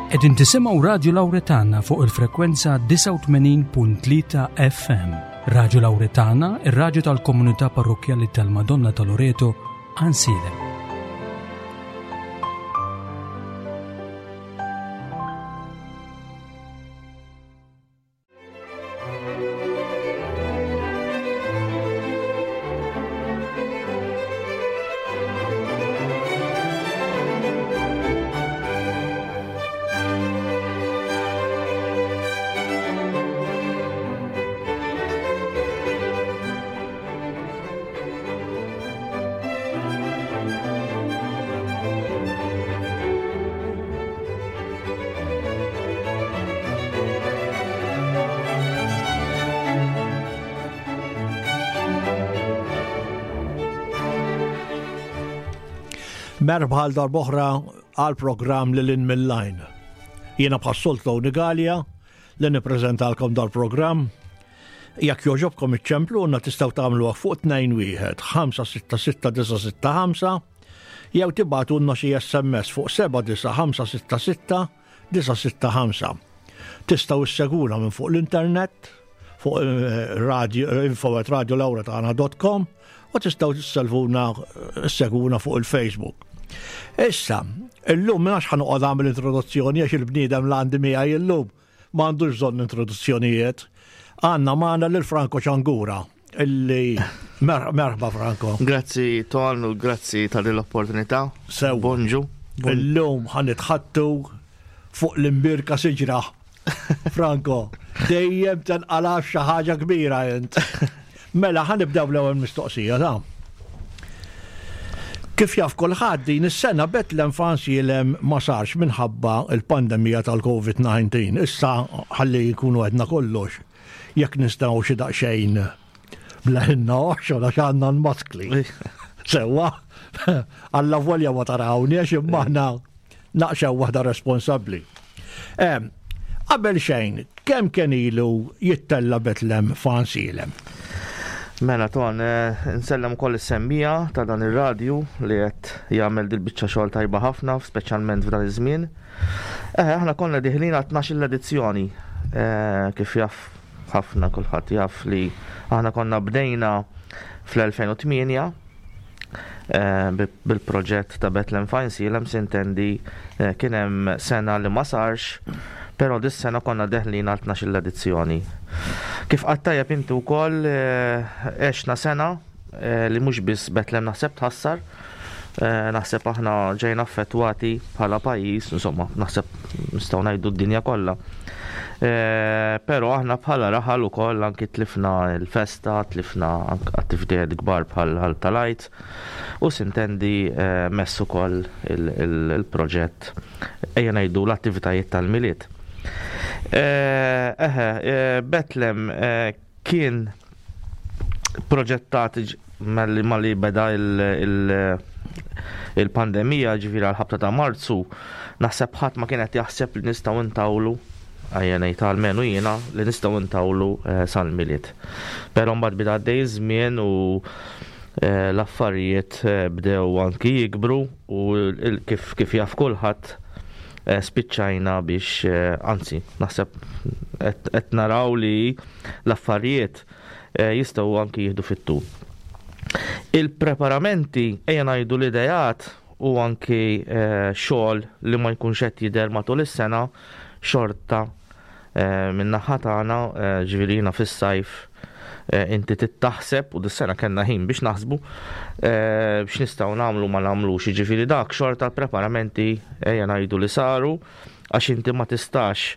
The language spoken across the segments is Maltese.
Qegħdin tisimgħu Radju Lawretana fuq il-frekwenza 89.3 FM. Radju Lawretana, ir-radju tal-komunità parrokkjali tal-Madonna ta' Loreto, Għansielem. Merħba għal darboħra għal programm li l-in mill-lajn. Jiena bħas-soltu Tony Gallia li nippreżentalkom dal-programm. Jekk jogħġobkom iċċempluna tistgħu tagħmluha fuq 21 566 965 jew tibgħatulna xi SMS fuq 79566 965. Tistgħu issegwuna minn fuq l-internet fuq eh, radio, eh, info@radiolauretana.com u tistgħu tisselvuna eh, issegwuna fuq il-Facebook. Issa, illum minnax ħanoqgħod għamil introduzzjoni għax il-bniedem l-għandi miegħi illum Ma għandux bżonn introduzzjonijiet. Għandna magħna lil Franco Ċangura illi merħba Franco. Grazzi Ton u grazzi ta' din l-opportunità. Sew. Bonġu. Illum ħanitħattu fuq l-imbirka siġra. Franco, dejjem tenqalaf xi ħaġa kbira int. Mela ħanibdew l-ewwel mistoqsija ta' Kif jaf kulħadd din is-sena Bethlehem f'Għansielem ma sarx minħabba l-pandemija tal-Covid-19. Issa ħalli jkunu għedna kollox, jekk nistgħu xi daqsxejn bleħinna oħxon għax għandna l-maskli. Sewwa, alla volja ma tarawni għax imma aħna naqxew waħda responsabbli. Qabel xejn, kemm kien ilu jittella' Betlem f'Għansielem? Mela Ton, eh, nsellem ukoll is-semmija ta' dan ir-radju li qed jagħmel dil-biċċa xogħol tajba ħafna, speċjalment f'dan iż-żmien. Eh, aħna konna diħlin għal 12 edizzjoni eh, kif jaf ħafna kulħadd jaf li aħna konna bdejna fl-2008 Eh, bil-proġett ta' Bethlehem Fine sintendi eh, kien hemm sena li ma sarx, però dis-sena konna deħlin għal 12 edizzjoni. Kif qatt tajjeb inti wkoll eh, għexna sena li mhux biss Bethlehem naħseb tħassar, naħseb aħna ġejna affettwati bħala pajjiż, insomma, naħseb nistgħu ngħidu d-dinja kollha. Però aħna bħala raħal ukoll anki tlifna l-festa, tlifna attivitajiet kbar bħal tal-Għid u sintendi mess ukoll il-proġett ejja ngħidu l-attivitajiet tal-Milied. Eħe, Betlem Kien proġettat malli beda il-pandemija, ġifieri għall-ħabta ta' Marzu, naħseb ħadd ma kien qed jaħseb li nistgħu ntawlu, ejja ngħid almenu jiena, li nistgħu ntawlu eh, sal-Milied. Però mbagħad beda għaddej iż-żmien u eh, l-affarijiet eh, bdew anki jikbru u kif kif jaf kulħadd spiċċajna biex anzi naħseb qed naraw li L-affarijiet jistgħu anki jieħdu fit-tul. Il-preparamenti, ejja ngħidu l-ideat u anki xogħol li ma jkunx qed jidher matul is-sena xorta min-naħa tagħna, ġifieri jiena fis-sajf inti trid taħseb u dis-sena kellna ħin biex naħsbu x'nistgħu nagħmlu ma nagħmlux, jiġifieri dak xorta l-preparamenti ejja ngħidu li saru għax inti ma tistax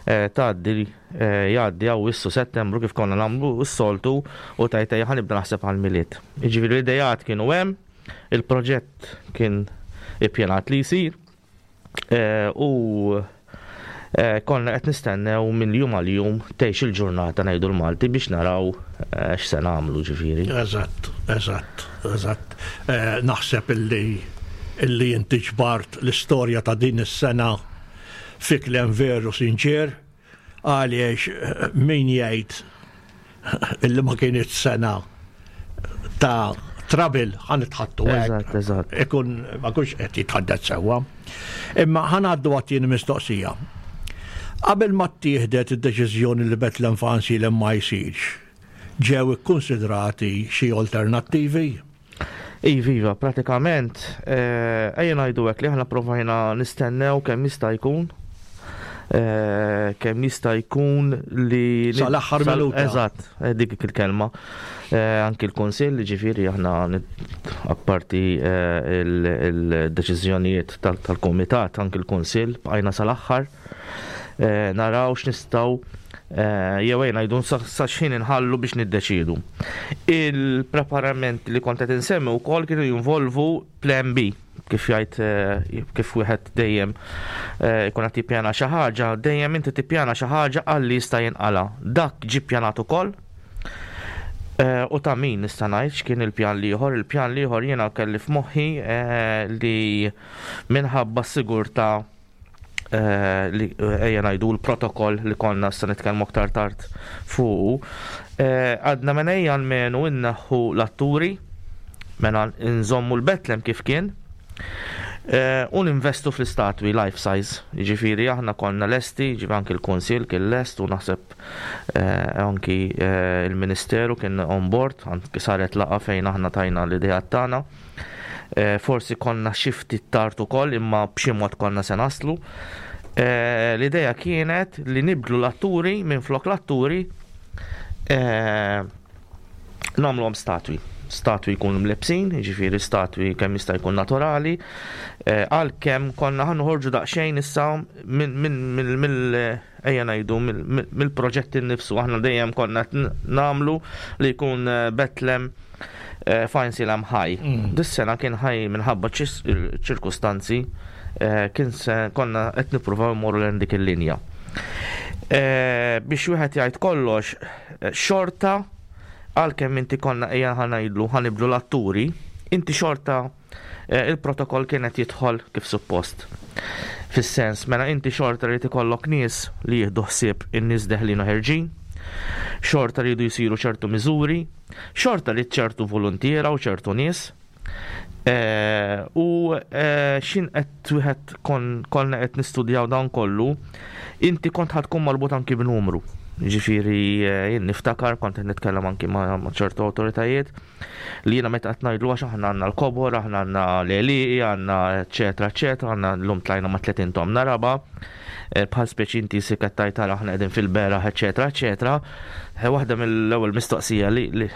tgħaddi jgħaddi Awwissu, Settembru kif konna nagħmlu s-soltu u tgħid ejja ħa nibda naħseb għall-Milied. Jiġifieri l-ideat kienu hemm, il-proġett kien ippjanat li jsir eh, u eh, konna qed nistennew minn jum għal jum tgħix il-ġurnata ngħidu l-Malti biex naraw eh, x'se nagħmlu ġifieri. Eżatt, eżatt, eżatt. Naħseb illi illi inti ġbart l-istorja ta' din is-sena fi kliem veru sinċier għaliex min jgħid illi ma kienet sena ta' Trouble ħa nitħaddtu hekk. Eżatt, eżatt. Ikun ma kunx qed jitħaddet sewwa. Imma ħa ngħaddu għat-tieni mistoqsija. Qabel ma ttieħdet id-deċiżjoni li Bethlehem f'Għajnsielem ma jsirx, ġew ikkunsidrati xi alternattivi? Iva, iva, pratikament, eh, ejja ngħidu hekk li aħna provajna nistennew kemm jista' jkun eh, kemm jista' jkun li Sal-aħħar minuta. Eżatt, eh, dik il-kelma. Anki l-Kunsill, ġifieri aħna apparti il-deċiżjonijiet tal-Kumitat, anki l-Kunsill bqajna sal-aħħar naraw x'nistgħu jew ejja ngħidu sa x'ħin inħallu biex niddeċiedu. Il-preparament li kont qed insemmi wkoll kienu jinvolvu plan B, kif jgħid kif wieħed dejjem ikun qed jippjana xi ħaġa, dejjem inti tippjana xi ħaġa għal li jista' jinqala. Dak ġie ppjanat ukoll. U ta' min nista' ngħid x'kien il-pjan l-ieħor. Il-pjan l-ieħor jiena kelli f'moħħi li minħabba s-sigurtà Eh, li eh, ejja ngħidu l-protokoll li konna se nitkellmu aktar tard fuqu, eh, għadna mela ejja almenu inneħħu l-atturi, mela nżommu l-Betlem kif kien, u ninvestu fl-istatwi life size. Jiġifieri aħna konna lesti, jiġifieri anki l-Kunsill kien lest u naħseb anki il-Ministeru kien on board, anki saret laqgħa fejn aħna tajna l-ideat tagħna. Eh, forsi konna xi ftit tard ukoll imma b'xi mod konna se naslu. Eh, l-idea kienet li nibdlu l-atturi minn flok l-atturi eh, nagħmluhom statwi. Statwi jkunu mlebsin, jiġifieri statwi kemm jista' jkun naturali, għalkemm konna ħa noħorġu daqsxejn issa minn ejja ngħidu mill-proġett innifsu aħna dejjem konna nagħmlu li jkun Betlem eh, f'Għajnsielem ħaj. Mm. Dis-sena kien ħaj minħabba ċirkustanzi eh, kien se konna qed nippruvaw immorru lejn dik il-linja. Eh, biex wieħed jgħid kollox, xorta għalkemm inti konna ejja ħanajdlu ħaniblu l-atturi, inti xorta il-protokoll kien qed jidħol kif suppost. Fis-sens, mela inti xorta rrid ikollok nies li jieħdu ħsieb in-nies deħlin u ħerġin, xorta rridu jsiru ċertu miżuri, xorta rrid ċertu voluntiera u ċertu nies. Eh, u eh, xin qed wieħed konna qed nistudjaw dan kollu, inti kont ħad tkun marbut anki b'numru. Ġifieri eh, jien niftakar kont qed nitkellem anki ma' ċertu awtoritajiet li jiena meta qed ngħidlu għax aħna għandna l-kobor, aħna għandna l-għelieqi, għandna eċetera eċetera, għandna llum tlajna ma' 30 tomna raba, eh, bħal speċi inti si qed tgħid tara aħna qegħdin fil-beraħ eċetera eċetera. Eh, waħda mill-ewwel mistoqsija li, li,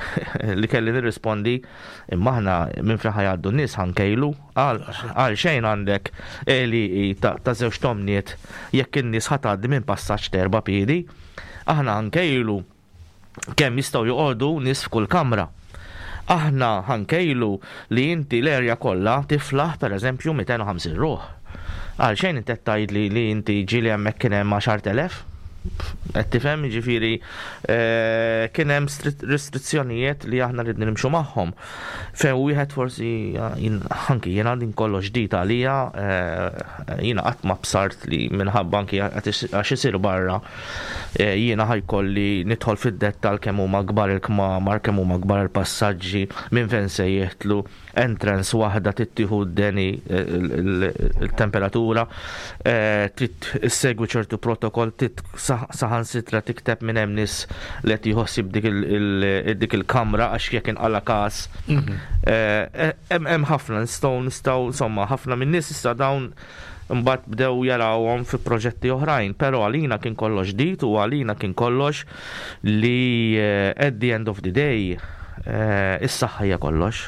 li kelli nirrispondi imma aħna minn fejn ħajgħaddu n-nies ħankejlu għal xejn għandek għelieqi ta', ta' żewġ tomniet jekk in-nies ħatgħaddi minn passaġġ t'erba' piedi. Aħna ħankejlu kemm jistgħu joqogħdu nies f'kull kamra. Aħna ħa nkejlu li inti l-area kollha tiflaħ pereżempju 250 ruħ. Għalxejn inti qed tgħidli li inti ġieli hemmhekk kien hemm 10,000? Qed tifhem jiġifieri eh, kien hemm restrizzjonijiet li aħna ridni nimxu magħhom. Fejn wieħed forsi anki jiena din kollox ġdid għalija, eh, jiena qatt ma bsart li minħabba anki għax isir barra eh, jiena ħajkolli nidħol fid-dettal kemm huma kbar il-kmamar, kemm huma kbar il-passaġġi, minn fejn se jieħtlu, entrance waħda tittieħu d-deni eh, il-temperatura, trid issegwi ċertu protokoll, trid saħansitra tikteb minn hemm nies li qed jħossib dik il-kamra għax jekk inqala każ. Mhm. Eh, eh, hemm ħafna nistgħu nistgħu insomma ħafna minn nies issa dawn mbagħad bdew jarawhom fi proġetti oħrajn, però għalina kien kollox ġdid u għalina kien kollox li eh, at the end of the day is-saħħa hija kollox.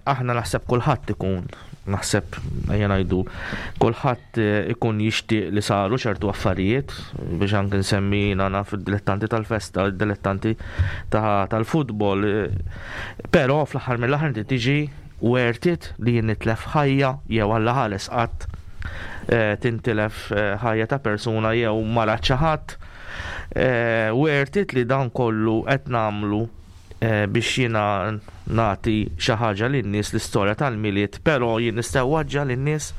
Aħna naħseb kulħadd ikun Naħseb, ejja ngħidu, kulħadd eh, ikun jixtieq li saru ċertu affarijiet biex anke nsemmi jiena naf id-dilettanti tal-festa, id-dilettanti tal-futbol. Eh, però fl-aħħar mill-aħħar inti tiġi worth it li jien nitlef ħajja jew alla ħares qatt eh, tintilef ħajja ta' persuna jew mara xi ħadd. Worth it li dan kollu qed nagħmlu biex jiena nagħti xi ħaġa lin-nies l-istorja tal-Milied, però jien nista' waġġa' lin-nies.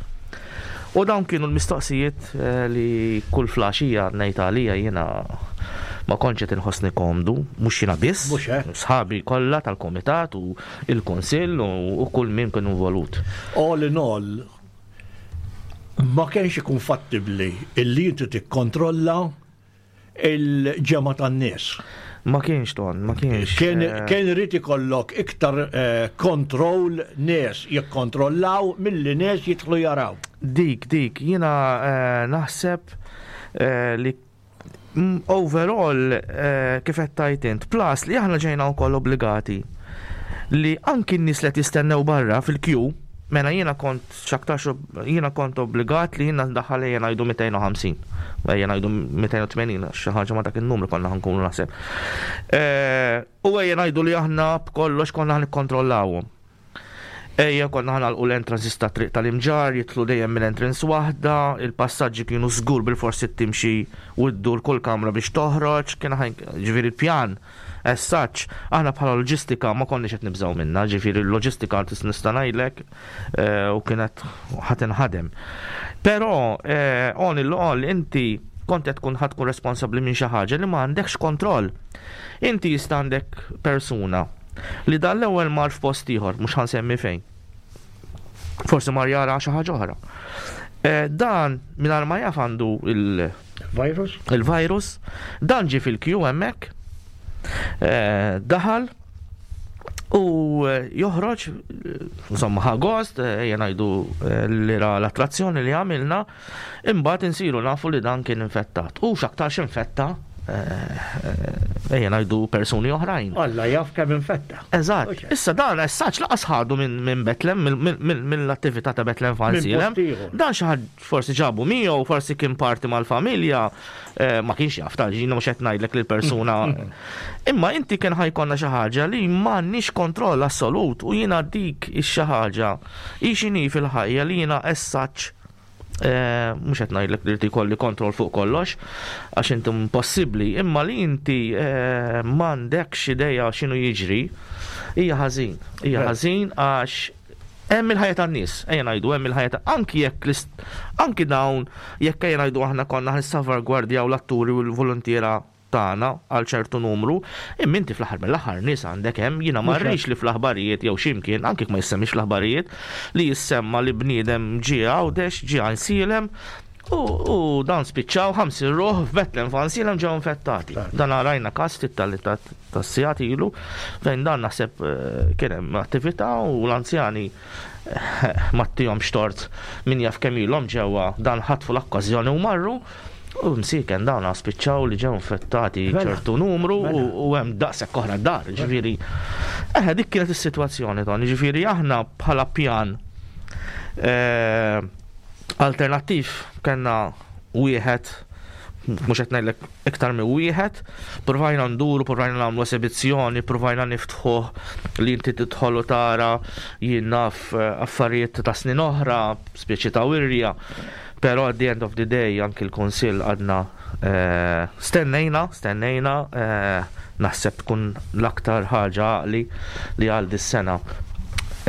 U dawn kienu l-mistoqsijiet eh, li kull flaxija ngħid għalija jiena Ma kontx qed inħossni komdu, mhux jiena biss, sħabi kollha tal-kumitat u l-kunsill u kull min kien involut. All in all, ma kienx ikun fattibbli illi inti tikkontrolla il-ġemgħa tan-nies. Ma kienx ton, ma kienx. Kien eh, irid ikollok iktar eh, kontroll nies jikkontrollaw milli nies jidħlu jaraw. Dik, dik, jiena eh, naħseb li overall kif qed tgħid int, plus li aħna ġejna wkoll obbligati li anki n-nies li qed jistennew barra fil-kju, mela jiena kont x'aktarx jiena kont obbligat li jiena ndaħħal ejja ngħidu 250. Ejja ngħidu 280 xi ħaġa ma dak in-numru konna ħankunu naħseb. Eh, u ejja ngħidu li aħna b'kollox konna ħnikkontrollawhom. Ejja konna ħanalqu l-entrances ta' triq tal-imġar, jitlu dejjem minn entrance waħda, il-passaġġi kienu żgur bil-forsi timxi u ddur kull kamra biex toħroġ, kien ġifieri pjan as such, aħna bħala loġistika ma konniex qed nibżgħu minnha, ġifieri l-loġistika nista' ngħidlek eh, u kienet ħa tinħadem. Però eh, on il-all inti kont qed tkun ħa tkun responsabbli minn xi ħaġa li ma għandekx kontroll. Inti jista' għandek persuna li dan l-ewwel mar f'post ieħor, mhux ħansemmi fejn. Forsi mar jara xi ħaġa oħra. Eh, dan mingħajr ma jaf għandu il-virus. Il-virus, dan ġie fil-kju hemmhekk, eh, daħal u eh, joħroġ, insomma ħa gost, ejja ngħidu li ra l-attrazzjoni li għamilna, Imbagħad insiru nafu li dan kien infettat. U x'aktarx infetta eh, ejja ngħidu persuni oħrajn. Alla jaf kemm infetta. Eżatt. Issa dan essaċ laqas ħadu minn Betlem, mill-attività ta' Betlem Fansilem. Dan xi ħadd forsi ġabu miegħu, forsi kien parti mal-familja, eh, ma kienx jaf ta' ġina mhux qed ngħidlek lil persuna. Imma inti kien ħajkonna xi ħaġa li m'għandniex kontroll assolut u jiena dik ix-xi ħaġa hi x'inhi fil-ħajja li jiena essaċ Eh, mhux qed ngħidlek li jkolli kontroll fuq kollox, għax inti impossibbli, imma li inti eh, m'għandekx idea x'inhu jiġri, hija ħażin. Hija ħażin għax hemm il-ħajja tan-nies, ejja ngħidu hemm il-ħajja ta' anki jekk anki dawn jekk ejja ngħidu aħna konna ħnissalvagwardjaw l-atturi u l-voluntiera tagħna għal ċertu numru, imma inti fl-aħħar mill-aħħar nies għandek hemm, jiena ma rridx li fl-aħbarijiet jew xi mkien, anke jekk ma jissemmix fl-aħbarijiet, li jissemma li bniedem ġie Għawdex, ġie Għajnsielem, u, u dan spiċċaw 50 ruħ f'Betlem f'Għajnsielem ġew infettati. Dan rajna każ ftit tas-sigħat ilu fejn dan naħseb eh, kien hemm attività u l-anzjani eh, ma ttihomx tort min jaf kemm ilhom ġewwa dan ħatfu l-okkażjoni u marru U msiken dawn spiċċaw li ġew infettati mela. ċertu numru mela. u hemm daqshekk oħra dar, mela. ġifieri. Eħe dik kienet is-sitwazzjoni Tony, ġifieri aħna bħala pjan eh, alternattiv kellna wieħed mhux qed ngħidlek iktar minn wieħed, provajna nduru, provajna nagħmlu esibizzjoni, provajna niftħu li inti tidħol u tara jien naf eh, affarijiet ta' snin oħra, speċi ta' wirja. Però at the end of the day anki l-Kunsill għadna eh, stennejna, stennejna, eh, naħseb tkun l-aktar ħaġa għaqli li għal dis-sena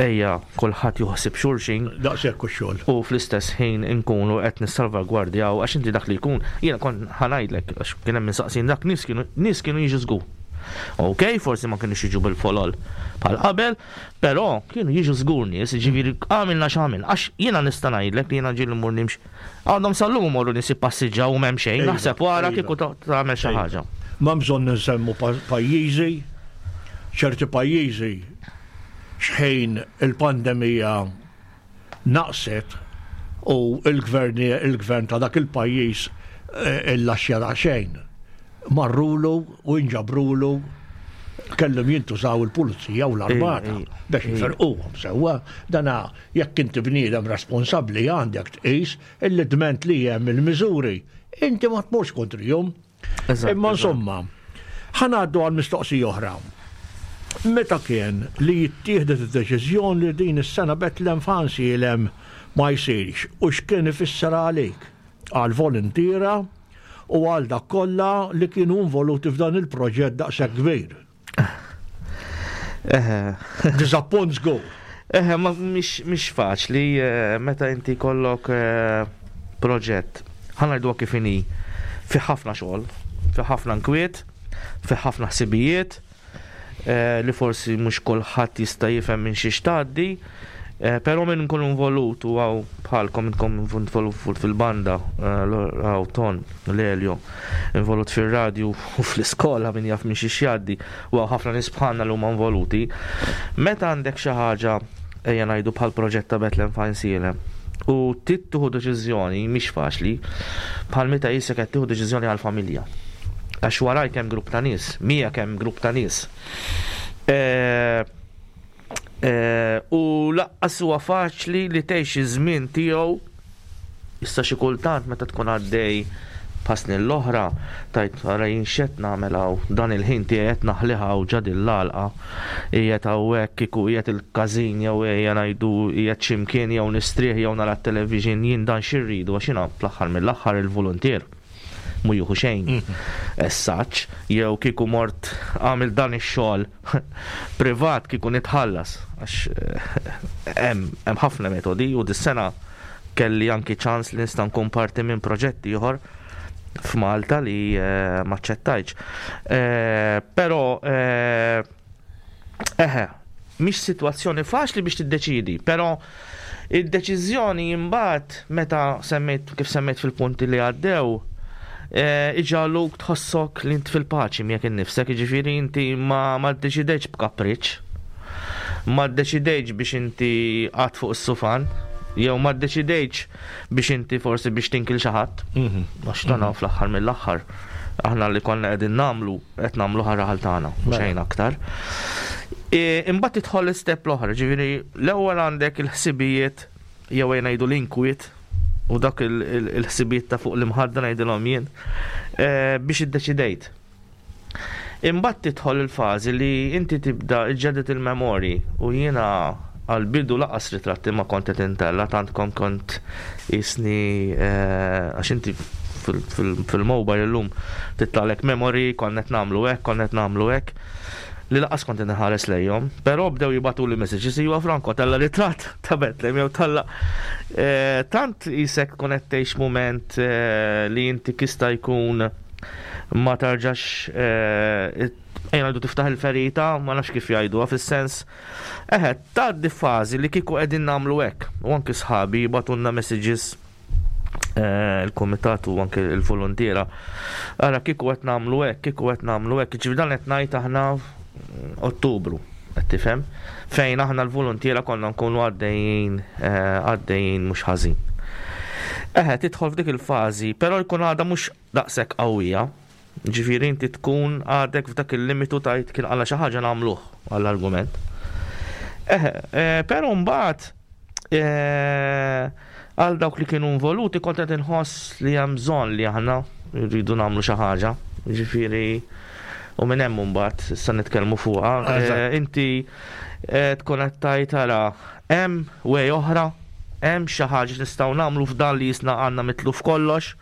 ejja kulħadd juħsib xulxin. Daqshekk u xogħol. U fl-istess ħin inkunu qed nissalvagwardjaw għax inti dak li jkun, jiena kont ħanajdlek għax kien hemm minsaqsin dak nies kienu nies kienu jiġu żgur. Ok, forsi ma kienux jiġu bil-folol bħal qabel, Però kienu jiġu żgur nies, jiġifieri għamilna x'għamilna, għax jiena nista' ngħidlek li jiena ġieli mmur nimxi, għadhom sal-lum imorru nies jippassiġġaw u m'hemm xejn, naħseb wara kieku tagħmel xi ħaġa. M'hemm bżonn insemmu pajjiżi, ċerti pajjiżi x'ħin il-pandemija naqset u l-gvern il-gvern ta' dak il-pajjiż eh, illaxxja daqsxejn. Marrulu u inġabrulu kellhom jintużaw il-pulizija u l-armata biex jferquhom sewwa. Dana jekk inti bniedem responsabbli għandek tqis illi dment li hemm il-miżuri inti ma tmurx kontrihom. Imma insomma, ħanaddu għal mistoqsija oħra. Meta kien li jittieħdet id-deċiżjoni li din is-sena Betlem f'Għansielem ma jsirx u x'kien ifisser għalik, għall-voluntiera u għal dak kollha li kienu involuti f'dan il-proġett daqshekk kbir? Diżappunt żgur. Eħe, ma mhix faċli eh, meta inti kollok eh, proġett. Ħa ngħiduha kif inhi fi ħafna xogħol, fi ħafna nkwiet. fih ħafna ħsibijiet eh, li forsi mhux kulħadd jista' jifhem minn xiex tgħaddi. Eh, però minn nkun involut u għaw bħalkom inkom involut fil-banda, eh, għaw ton, l-Elio, involut fil-radju u fl-iskola minn jaf minn xiex jgħaddi, u għaw ħafna nies bħalna li huma involuti. Meta għandek xi ħaġa ejja ngħidu bħal proġett ta' Bethlehem Fajnsielem u trid tieħu deċiżjoni mhix faċli bħal meta jisek qed tieħu deċiżjoni għall-familja. Għax warajk hemm grupp ta' nies, miegħek hemm grupp ta' nies. Eh, eh, u laqqas huwa faċli li tgħix iż-żmien tiegħu issa xi kultant meta tkun għaddej bħas-snin l-oħra tgħid ara jien x'qed nagħmel hawn dan il-ħin tiegħi qed naħlih hawn ġa din l-għalqa qiegħed hawnhekk kieku qiegħed il-każin jew ejja ngħidu qiegħed xi mkien jew nistrieħ jew nara t-television jien dan xi rridu għax jiena fl-aħħar mill-aħħar il-voluntier mhu jieħu xejn as such jew kieku mort għamilt dan ix-xogħol privat kieku nitħallas għax hemm hemm ħafna metodi u dis-sena kelli anki ċans li nista' nkun parti minn proġett ieħor f'Malta li eh, ma ċettajtx. Eh, però eh, eħe, mhix sitwazzjoni faċli biex tiddeċidi, però id-deċiżjoni imbagħad meta semmejt kif semmejt fil-punti li għaddew, iġagħluk tħossok li int fil-paċi miegħek innifsek, jiġifieri inti ma ma ddeċidejtx b'kapriċċ, ma ddeċidejtx biex inti qgħadt fuq is-sufan, jew ma ddeċidejtx biex inti forsi biex tinkil xi ħadd. Mhm. Għax dan mhm. fl-aħħar mill-aħħar aħna li konna qegħdin nagħmlu qed nagħmlu ħarraħal tagħna, mhux mela. xejn aktar. E, imbagħad tidħol l-istep l-oħra, ġifieri l-ewwel għandek il-ħsibijiet jew ejja ngħidu l-inkwiet u dak il-ħsibijiet ta' fuq l-imħadda ngħidilhom jien eh, biex iddeċidejt. Imbagħad tidħol il-fażi li inti tibda iġġedded il-memorji u jiena għal-bidu laqas ritratti ma kont qed intella tant kon kont isni eh, għax inti fil-mobile illum titlalek memory kont qed nagħmlu hekk, kont qed nagħmlu hekk li laqas kont inħares lejhom, però bdew jibgħatuli messages iwa Franco tella ritratt ta' Bethlehem jew talla. Eh, tant isek tkun qed tgħix mument eh, li inti kista jkun ma tarġax eh, ejja ngħidu tiftaħ il-ferita, ma nafx kif jgħiduha fis-sens. Eħe, tgħaddi fażi li kieku qegħdin nagħmlu hekk. U anki sħabi jibgħatulna messages Eh, il-komitat u anke il-volontiera. Ara kieku qed nagħmlu hekk, kieku qed nagħmlu hekk, ġifieri dan qed ngħid aħna Ottubru, qed tifhem, fejn aħna l-volontiera konna nkunu għaddejjin eh, għaddejjin mhux ħażin. Eħe, tidħol f'dik il-fażi, però jkun għadha mhux daqshekk qawwija. Ġifieri inti tkun għadek f'dak il-limitu tajt kien għala xi ħaġa nagħmluh għall-argument. Eħe, eh, però mbagħad Għal dawk li kienu involuti kont qed inħoss li hemm bżonn li aħna rridu nagħmlu xi ħaġa. Ġifieri u minn hemm imbagħad issa nitkellmu fuqha. Eh, inti eh, tkun qed tgħid ara hemm way oħra, hemm xi ħaġa nistgħu nagħmlu f'dan li jisna għandna mitluf kollox.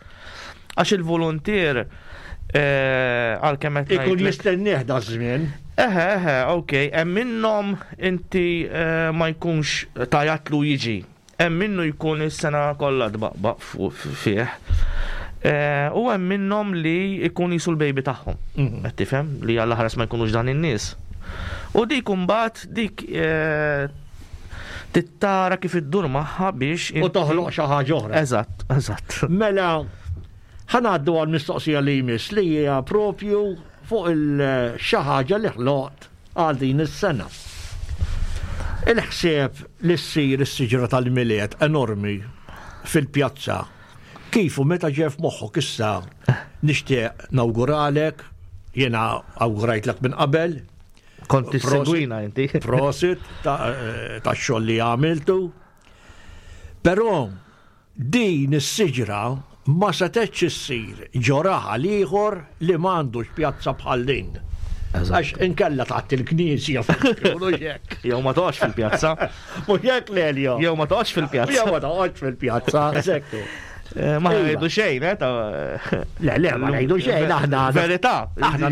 Għax il-voluntier eh, għalkemm qed Ikun jistennieh da żmien. Eħe, eħe, ok, hemm minnhom inti eh, ma jkunx tajatlu jiġi. Hemm minnu jkun is-sena kollha tbaqbaq fih. Eh, u hemm minnhom li jkun jisu l-baby tagħhom. Mhm. Qed tifhem li għall ħares ma jkunux dan in-nies. U dik imbagħad dik Tittara kif iddur magħha biex. U toħloq xi ħaġa oħra. Eżatt, eżatt. Mela, ħanaddu għal mistoqsija li jmiss li hija propju fuq il-xi ħaġa li ħloqt għal din is-sena. Il-ħsieb li ssir is-siġra tal-Milied enormi fil-pjazza kif u meta ġie f'moħħok issa nixtieq nawguralek, jiena awgurajtlek minn qabel, Kont tissegwina inti. Prosit eh, ta' xogħol li għamiltu. Però din is-siġra ma setgħetx issir ġo raħal ieħor li m'għandux pjazza bħal din. Għax inkella taħt il-knisja Jew ma toqgħodx fil-pjazza. Mhux hekk Lelio. Jew ma toqgħodx fil-pjazza. Jew ma toqgħodx fil-pjazza. Sekku. Eh, ma ngħidu xejn, eh, ta' Le, le, ma ngħidu xejn aħna. Verità. Aħna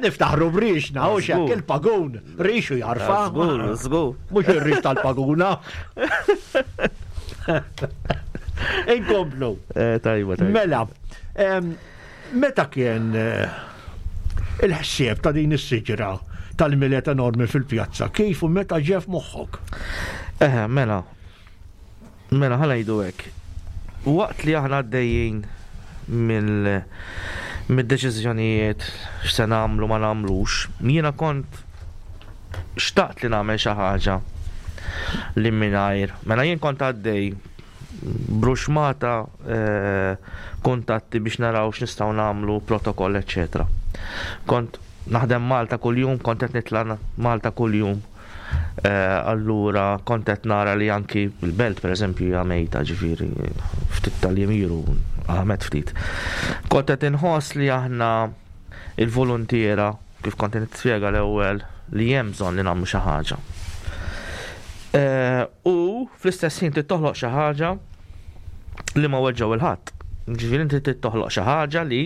niftaħru brixna, u xek il-pagun, rixu jarfa. Żgur, żgur. Mhux ir-rix tal-paguna. Inkomplu. Eh, tajba, tajba. Mela, meta kien eh, Il-ħsieb ta' din is-siġra tal-Milied enormi fil-pjazza, kif u meta ġie f'moħħok? Eħe, mela. Mela, ħa ngħidu hekk. Waqt li aħna għaddejjin mill mid-deċiżjonijiet x'se nagħmlu ma nagħmlux, jiena kont xtaqt li nagħmel xi ħaġa li mingħajr. Mela jien kont għaddej bruxmata eh, kuntatti biex naraw x'nistgħu nagħmlu, protokoll, eċċetera. Kont naħdem Malta kuljum, kont qed nitla' Malta kuljum. Eh, allura kont qed nara li anki l-belt pereżempju hija mejta ġifieri ftit tal-jemiru għamet ftit. Kont qed inħoss li aħna il-voluntiera kif kont nispjega l-ewwel li hemm bżonn li nagħmlu xi ħaġa. Eh, u fl-istess ħin trid toħloq xi ħaġa li ma weġġgħu il-ħadd. Ġifieri inti trid toħloq xi ħaġa li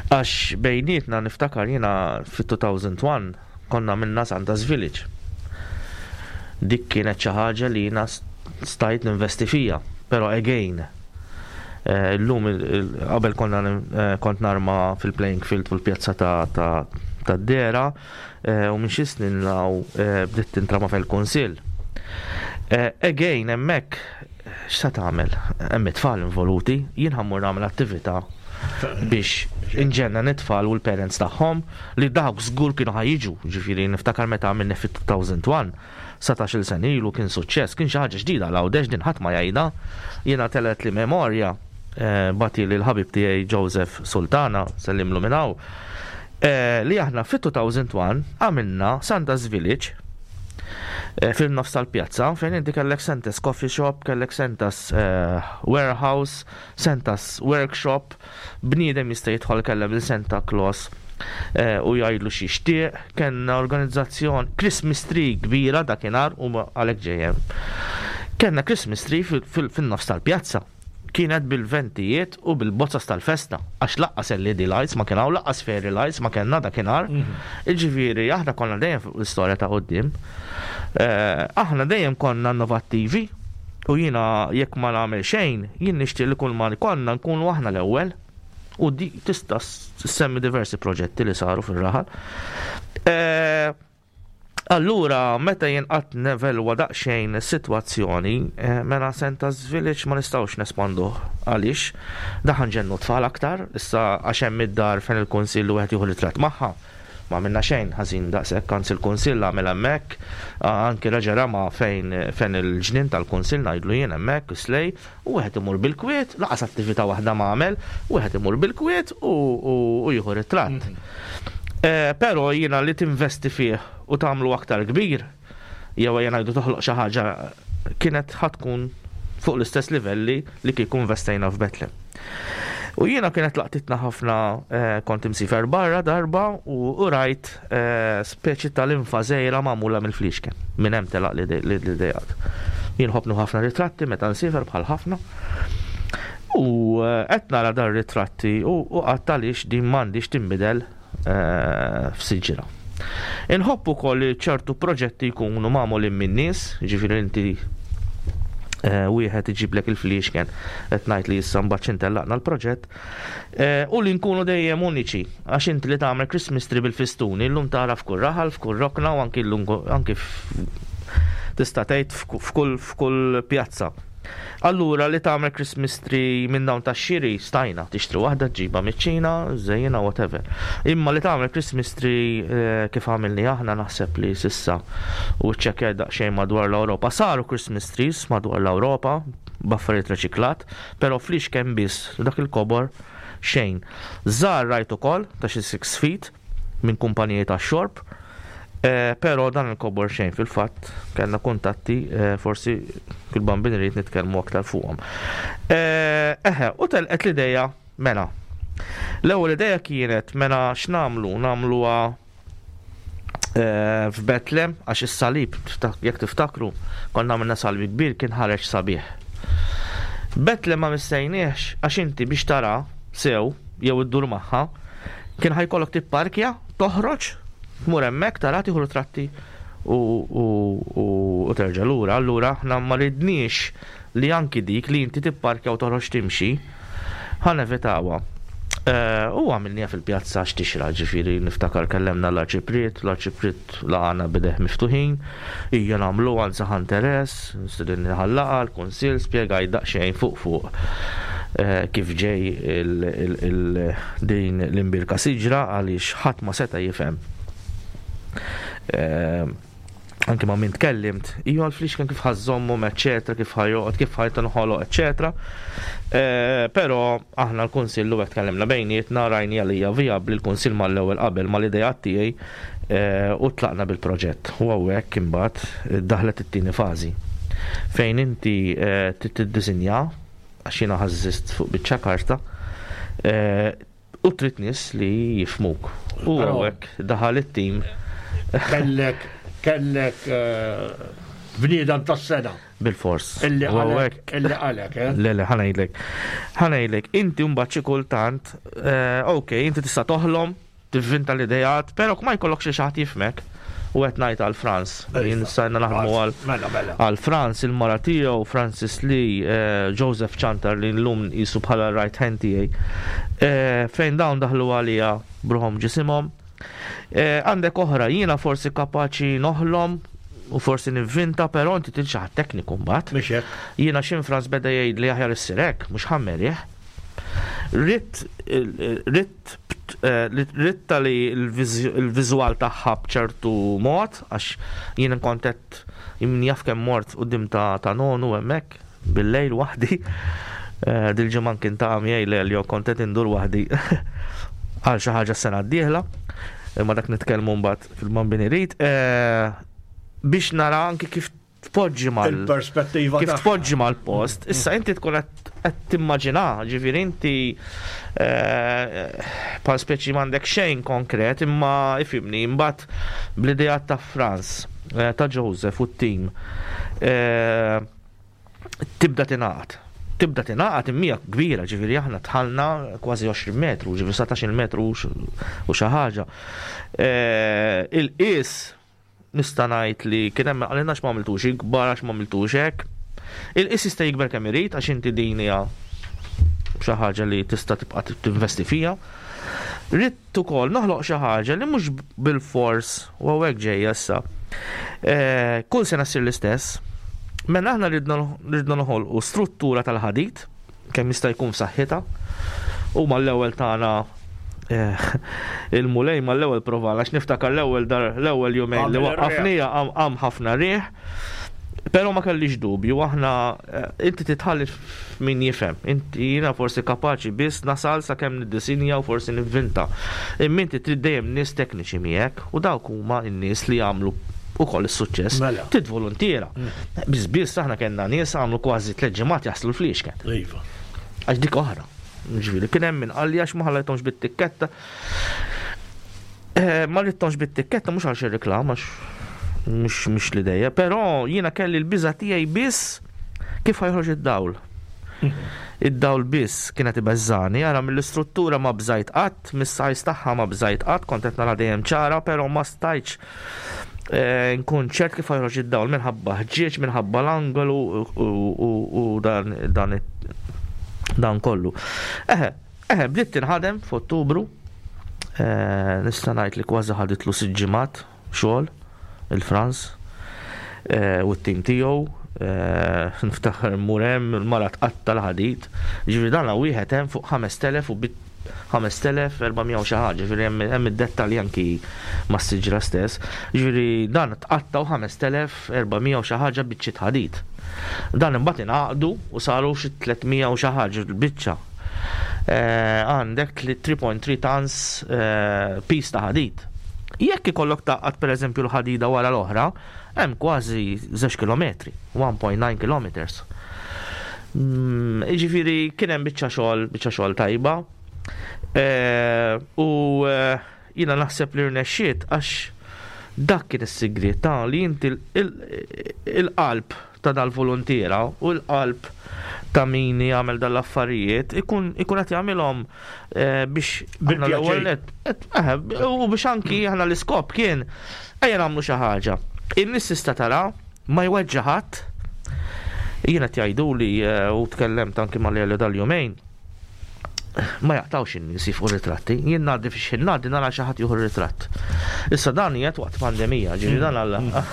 għax bejnietna niftakar jiena fit-2001 konna minna Santa's Village. Dik kienet xi ħaġa li jiena stajt ninvesti fija, però again eh, illum qabel konna eh, kont narma fil-playing field fil-pjazza ta' tad-dera eh, u minn xi snin law bdiet tintrama fil-kunsill. Again hemmhekk x'sa tagħmel? Hemm it-tfal involuti, jien ħammur nagħmel attività biex inġenna it-tfal u l-parents tagħhom li dawk żgur kienu ħa jiġu, ġifieri niftakar meta għamilni fit-2001, 17-il sena ilu kien suċċess, kien xi ħaġa ġdida għal Għawdex din ħadd ma jgħidha. Jiena telgħet li memorja eh, bati li l-ħabib tiegħi Joseph Sultana, sellimlu minn hawn, eh, li aħna fit-2001 għamilna Santa's Village eh, fil-nofs tal-pjazza fejn inti kellek Santa's Coffee Shop, kellek Santa's Warehouse, Santa's Workshop, bniedem jista' jidħol kellem lil Santa Claus eh, u jgħidlu x'jixtieq, kellna organizzazzjon Christmas tree kbira dakinhar u għalhekk ġejjem. Kellna Christmas tree fin-nofs tal-pjazza. Kienet bil-ventijiet u bil-bozzas tal-festa, għax laqqas LED lights ma kien hawn, laqqas fairy lights ma kellna dakinhar. Mhm. Iġifieri aħna konna dejjem fuq l-istorja ta' quddiem. Eh, aħna dejjem konna innovattivi U jiena jekk ma nagħmel xejn, jien nixtieq li kull ma jkollna nkunu aħna l-ewwel. U di tista' ssemmi diversi proġetti li saru fir-raħal. Eh, allura, meta jien qatt nevelwa daqsxejn is-sitwazzjoni, eh, mela Santa's Village ma nistgħux nespanduh. Għaliex? Daħan ġennu tfal aktar, issa għax hemm id-dar fejn il-kunsill wieħed jieħu ritratt magħha. Ma għamilna xejn ħażin daqshekk, anzi l-Kunsill għamel hemmhekk, anki reġa' rama fejn fejn il-ġnien tal-Kunsill ngħidlu jien hemmhekk, is-slej, u wieħed imur bil-kwiet, lanqas attività waħda ma għamel, wieħed imur bil-kwiet u u jieħu ritratt. Eh, però jiena li tinvesti fih u tagħmlu aktar kbir, jew ejja ngħidu toħloq xi ħaġa kienet ħa tkun fuq l-istess livelli li kieku investejna f'Betlem. U jiena kienet laqtitna ħafna eh, kont imsifer barra darba u rajt eh, speċi tal-infa żgħira magħmula mill-fliexken. Minn hemm telaq l-idejat. Jien ħobnu ħafna ritratti meta nsifer bħal ħafna. U eh, qed nara dar ritratti u qatt għaliex din m'għandix tinbidel Eh, f'siġra. Inħobb ukoll li ċertu proġetti jkunu magħmulin minn nies, ġifieri inti eh, wieħed iġiblek il-fliexken qed ngħid li issa mbagħad x'intellaqna l-proġett eh, u li nkunu dejjem uniċi għax inti li tagħmel Christmas tree bil-fistuni llum tara f'kull raħal, f'kull rokna u anki llum anki tista' tgħid f'kull pjazza. Allura li tagħmel Christmas tree minn dawn tax-xiri stajna, tixtri waħda ġġibha miċ-Ċina, żejjinha whatever. Imma li tagħmel Christmas tree eh, kif għamilni aħna naħseb li sissa u ċċekkjajt daqsxejn madwar l-Ewropa. Saru Christmas trees madwar l-Ewropa b'affarijiet reċiklat, però flix kemm biss dak il-kobor xejn. Żgħar rajt ukoll ta' xi 6 feet minn kumpaniji tax-xorb, eh, però dan il-kobor xejn fil-fatt kellna kuntatti eh, forsi fil-bambin irid nitkellmu aktar fuqhom. Eh, eħe, u telqet l-ideja mela. L-ewwel ideja kienet mela x'nagħmlu? Nagħmluha f'Betlem għax is-salib jekk tiftakru konna għamilna salib kbir kien ħareġ sabiħ. Betlem ma missejniex għax inti biex tara sew jew iddur magħha Kien ħa jkollok tipparkja, toħroġ, tmur hemmhekk, tara tieħu ritratti u, u, u, u terġa' lura. Allura aħna ma ridniex li anki dik li inti tipparkja u toħroġ timxi, ħa nevitawha. U għamilniha fil-pjazza x'tixra, ġifieri niftakar kellemna l-Arċipriet, l-Arċipriet laqana b'idejh miftuħin, ejja nagħmluha anzi ħa interess, stedinni ħal-laqgħa, l-Kunsill, spjegajt daqsxejn fuq fuq kif ġej din l-imbierka siġra għaliex ħadd ma seta' jifhem. Anki ma' min tkellimt, iju għal-flixken kif ħażżommhom, eċċetera, kif ħajoqgħod, kif ħajtinħoloq, eċċetera. Eh, però aħna l-Kunsill u hekk tkellimna bejnietna rajni għalija vijabbli l-Kunsill mal-ewwel qabel mal-ideat tiegħi eh, u tlaqna bil-proġett. U hawnhekk imbagħad daħlet it-tieni fażi fejn inti eh, tiddisinja għax jiena ħażżist fuq biċċa karta U trid nies li jifhmuk. U hawnhekk daħal it-tim. Kellek kellek eh, bniedem tas-sena. Bil-fors. Illi qalek, illi qalek, eh? Le, le, ħanajdlek. Ħanajdlek, inti mbagħad xi kultant, eh, ok, inti tista' toħlom, tivvinta l-ideat, però ma jkollokx xi ħadd jifhmek. U qed ngħid għal Franz, jien sajna naħdmu għal mela, mela. għal Franz, il-mara tiegħu, Francis Lee, eh, Joseph Chantar li llum jisu bħala right hand tiegħi. Eh, fejn dawn daħlu għalija bruħom ġisimhom. Eh, għandek oħra, jiena forsi kapaċi noħlom u forsi nivvinta, però inti trid xi ħadd tekniku mbagħad. Jiena xi Franz beda jgħid li aħjar issir hekk, mhux ħammerih. Ritt ritt ritta li l-viżwal tagħha b'ċertu mod, għax jien kont qed min jaf kemm mort quddiem ta' nonu hemmhekk bil-lejl waħdi. Eh, dil-ġimgħa kien ta' miegħi l-Elio kont qed indur waħdi għal xi ħaġa s-sena d-dieħla. Imma dak nitkellmu mbagħad fil-bambini rid. Eh, biex nara anki kif tpoġġi mal il-perspettiva kif tpoġġi mal-post, issa inti tkun qed timmaġina, ġifieri inti eh, bħal speċi m'għandek xejn konkret, imma ifimni, imbagħad bl-idea ta' Franz, eh, ta' Joseph u t-tim, eh, tibda tingħaqad. Tibda tingħaqad immija kbira, ġifieri aħna tħallna kważi 20 metru, ġifieri 17 metru u xi ħaġa. Il-qis Nista' ngħid li kien hemm min qalilna għax m'għamiltux ikbar, għax m'għamiltux hekk. Il-qies jista' jikber kemm irid għax inti din hija xi ħaġa li tista' tibqa' tinvesti fiha. Ridt ukoll noħloq xi ħaġa li mhux bilfors u hawnhekk ġejja issa. Eh, kull sena ssir l-istess. Mela aħna ridna noħolqu struttura tal-ħadid kemm jista' jkun f'saħħitha. U mal-ewwel tagħna eh, il-mulej mal-ewwel provana għax niftakar l-ewwel dar l-ewwel jumejn li waqqafnija qam ħafna riħ. Però ma kellix dubju, aħna eh, inti titħalli min jifhem. Inti jiena forsi kapaċi biss nasal sakemm niddisinja u forsi nivvinta. Imma inti trid dejjem nies tekniċi miegħek u dawk huma n-nies li jagħmlu ukoll is-suċċess. Mela. Trid voluntiera. Mm. Biss biss aħna kellna nies għamlu kważi tliet ġimgħat jaħslu l-fliexken. Iva. Għax dik oħra. Ġifieri kien hemm min qalli għax ma ħallejthomx bit-tikketta. Eh, ma ridthomx bit-tikketta mhux għal xi reklam għax mhux mhux l-idea, però jiena kelli l-biża' tiegħi biss kif ħajħroġ id-dawl. Id-dawl biss kienet ibeżżani, ara mill-istruttura ma bżajt qatt, mis-sajz tagħha ma bżajt qatt, kont qed nara dejjem ċara, però ma stajtx eh, nkun ċert kif ħajħroġ id-dawl minħabba ħġieġ, minħabba l-angolu u dan dan dan kollu. Eħe, eħe, bdiet tinħadem f'Ottubru, eh, nista' ngħid li kważi ħaditlu sitt ġimgħat xogħol il-Franz eh, u t-tim tiegħu. Niftakar mmur hemm il-mara tqatta' l-ħadid. Ġifieri dan wieħed hemm fuq 5000 u 5400 u xi ħaġa, ġifieri hemm id-dettalji anki mas-siġra stess. Ġifieri dan tqattgħu 5400 u xi ħaġa biċċiet ħadid. Dan imbagħad ingħaqdu u saru xi 300 u xi ħaġa biċċa. Eh, għandek 3.3 tons eh, piece ta' ħadid. Jekk ikollok tgħaqqad pereżempju l-ħadida wara l-oħra, hemm kważi żewġ kilometri, 1.9 kilometers. Mm, jiġifieri kien hemm biċċa xogħol, biċċa xogħol tajba. Eh, u eh, jiena naħseb li rnexxiet għax dak kien is-sigriet ta' li inti il-qalb ta' dal-voluntiera u l-qalb ta' min jagħmel dal-affarijiet ikun ikun qed jagħmilhom eh, biex aħna l-ewwel nett eh, u biex anki aħna l-iskop kien ejja nagħmlu xi ħaġa. In-nies tista' tara ma jweġġa' ħadd. Jiena qed jgħiduli eh, u tkellemt anki mal-Elio dal-jumejn. Ma jaqtgħux in-nies jifqu ritratti. Jien ngħaddi fi xħin ngħaddi nara xi ħadd jieħu ritratt. Issa dan qiegħed waqt pandemija, ġifieri dan alla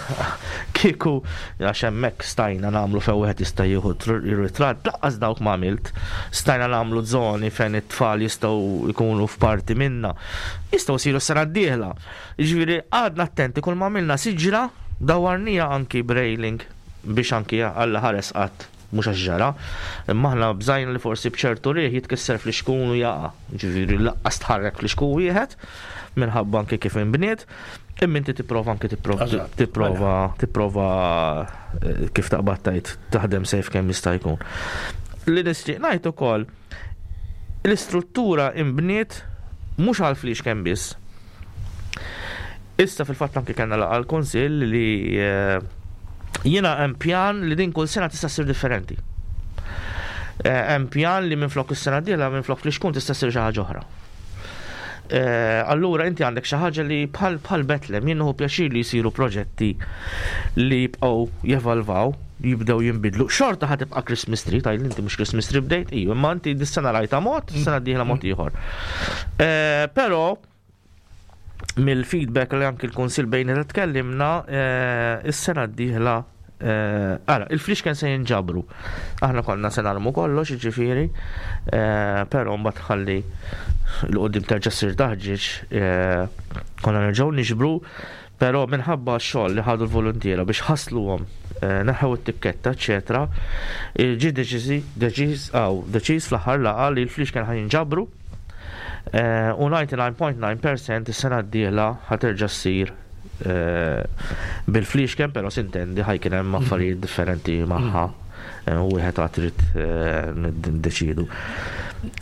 kieku għax hemmhekk stajna nagħmlu fejn wieħed jista' jieħu ritratt, laqqas dawk ma għamilt. Stajna nagħmlu żoni fejn it-tfal jistgħu jkunu f'parti minna. Jistgħu jsiru s-sena d-dieħla. Jiġifieri qgħadna attenti kull ma għamilna siġra dawwarniha anki b'railing biex anki Alla ħares qatt mhux għax ġara, imma aħna bżajna li forsi b'ċertu riħ jitkisser flixkun u jaqa'. Jiġifieri laqqas tħarrek flixkun wieħed minħabba anki kif inbniet, imma inti tipprova anki tipprova tipprova tipprova eh, kif taqbad tgħid taħdem sejf kemm jista' jkun. Li nixtieq ngħid ukoll L-istruttura inbniet mhux għal fliexken biss. Issa fil-fatt anki kellna laqgħa l-Kunsill li eh, jiena hemm pjan li din kull sena tista' ssir differenti. Eh, hemm pjan li minflok is-sena d-dieħla minflok flixkun tista' ssir xi ħaġa oħra. Eh, allura inti għandek xi ħaġa li bħal bħal Betlem jien nieħu pjaċir li jsiru proġetti li jibqgħu jevalvaw, jibdew jinbidlu. Xorta ħa tibqa' Christmas tree, tgħid inti mhux Christmas tree bdejt, iju, imma inti dis-sena rajta mod, sena d-dieħla mod ieħor. Eh, però mill-feedback li anki l-Kunsill bejn li tkellimna, eh, is-sena d-dieħla eh, Ara, il-flix kien se jinġabru. Aħna konna se narmu kollox, ġifieri, eh, però mbagħad ħalli l-qudiem terġa' ssir taħġieġ, konna nerġgħu niġbru, però minħabba x-xogħol li ħadu l-voluntiera biex ħasluhom, neħħew it-tikketta, eċetera, ġie deċiżi, deċiż, deċiż fl-aħħar laqgħa li l-flix kien ħa jinġabru U 99.9% is-sena d-dieħla ħa terġa' ssir bil-fliexken, però sintendi ħa jkun hemm affarijiet differenti magħha u wieħed għad trid niddeċiedu.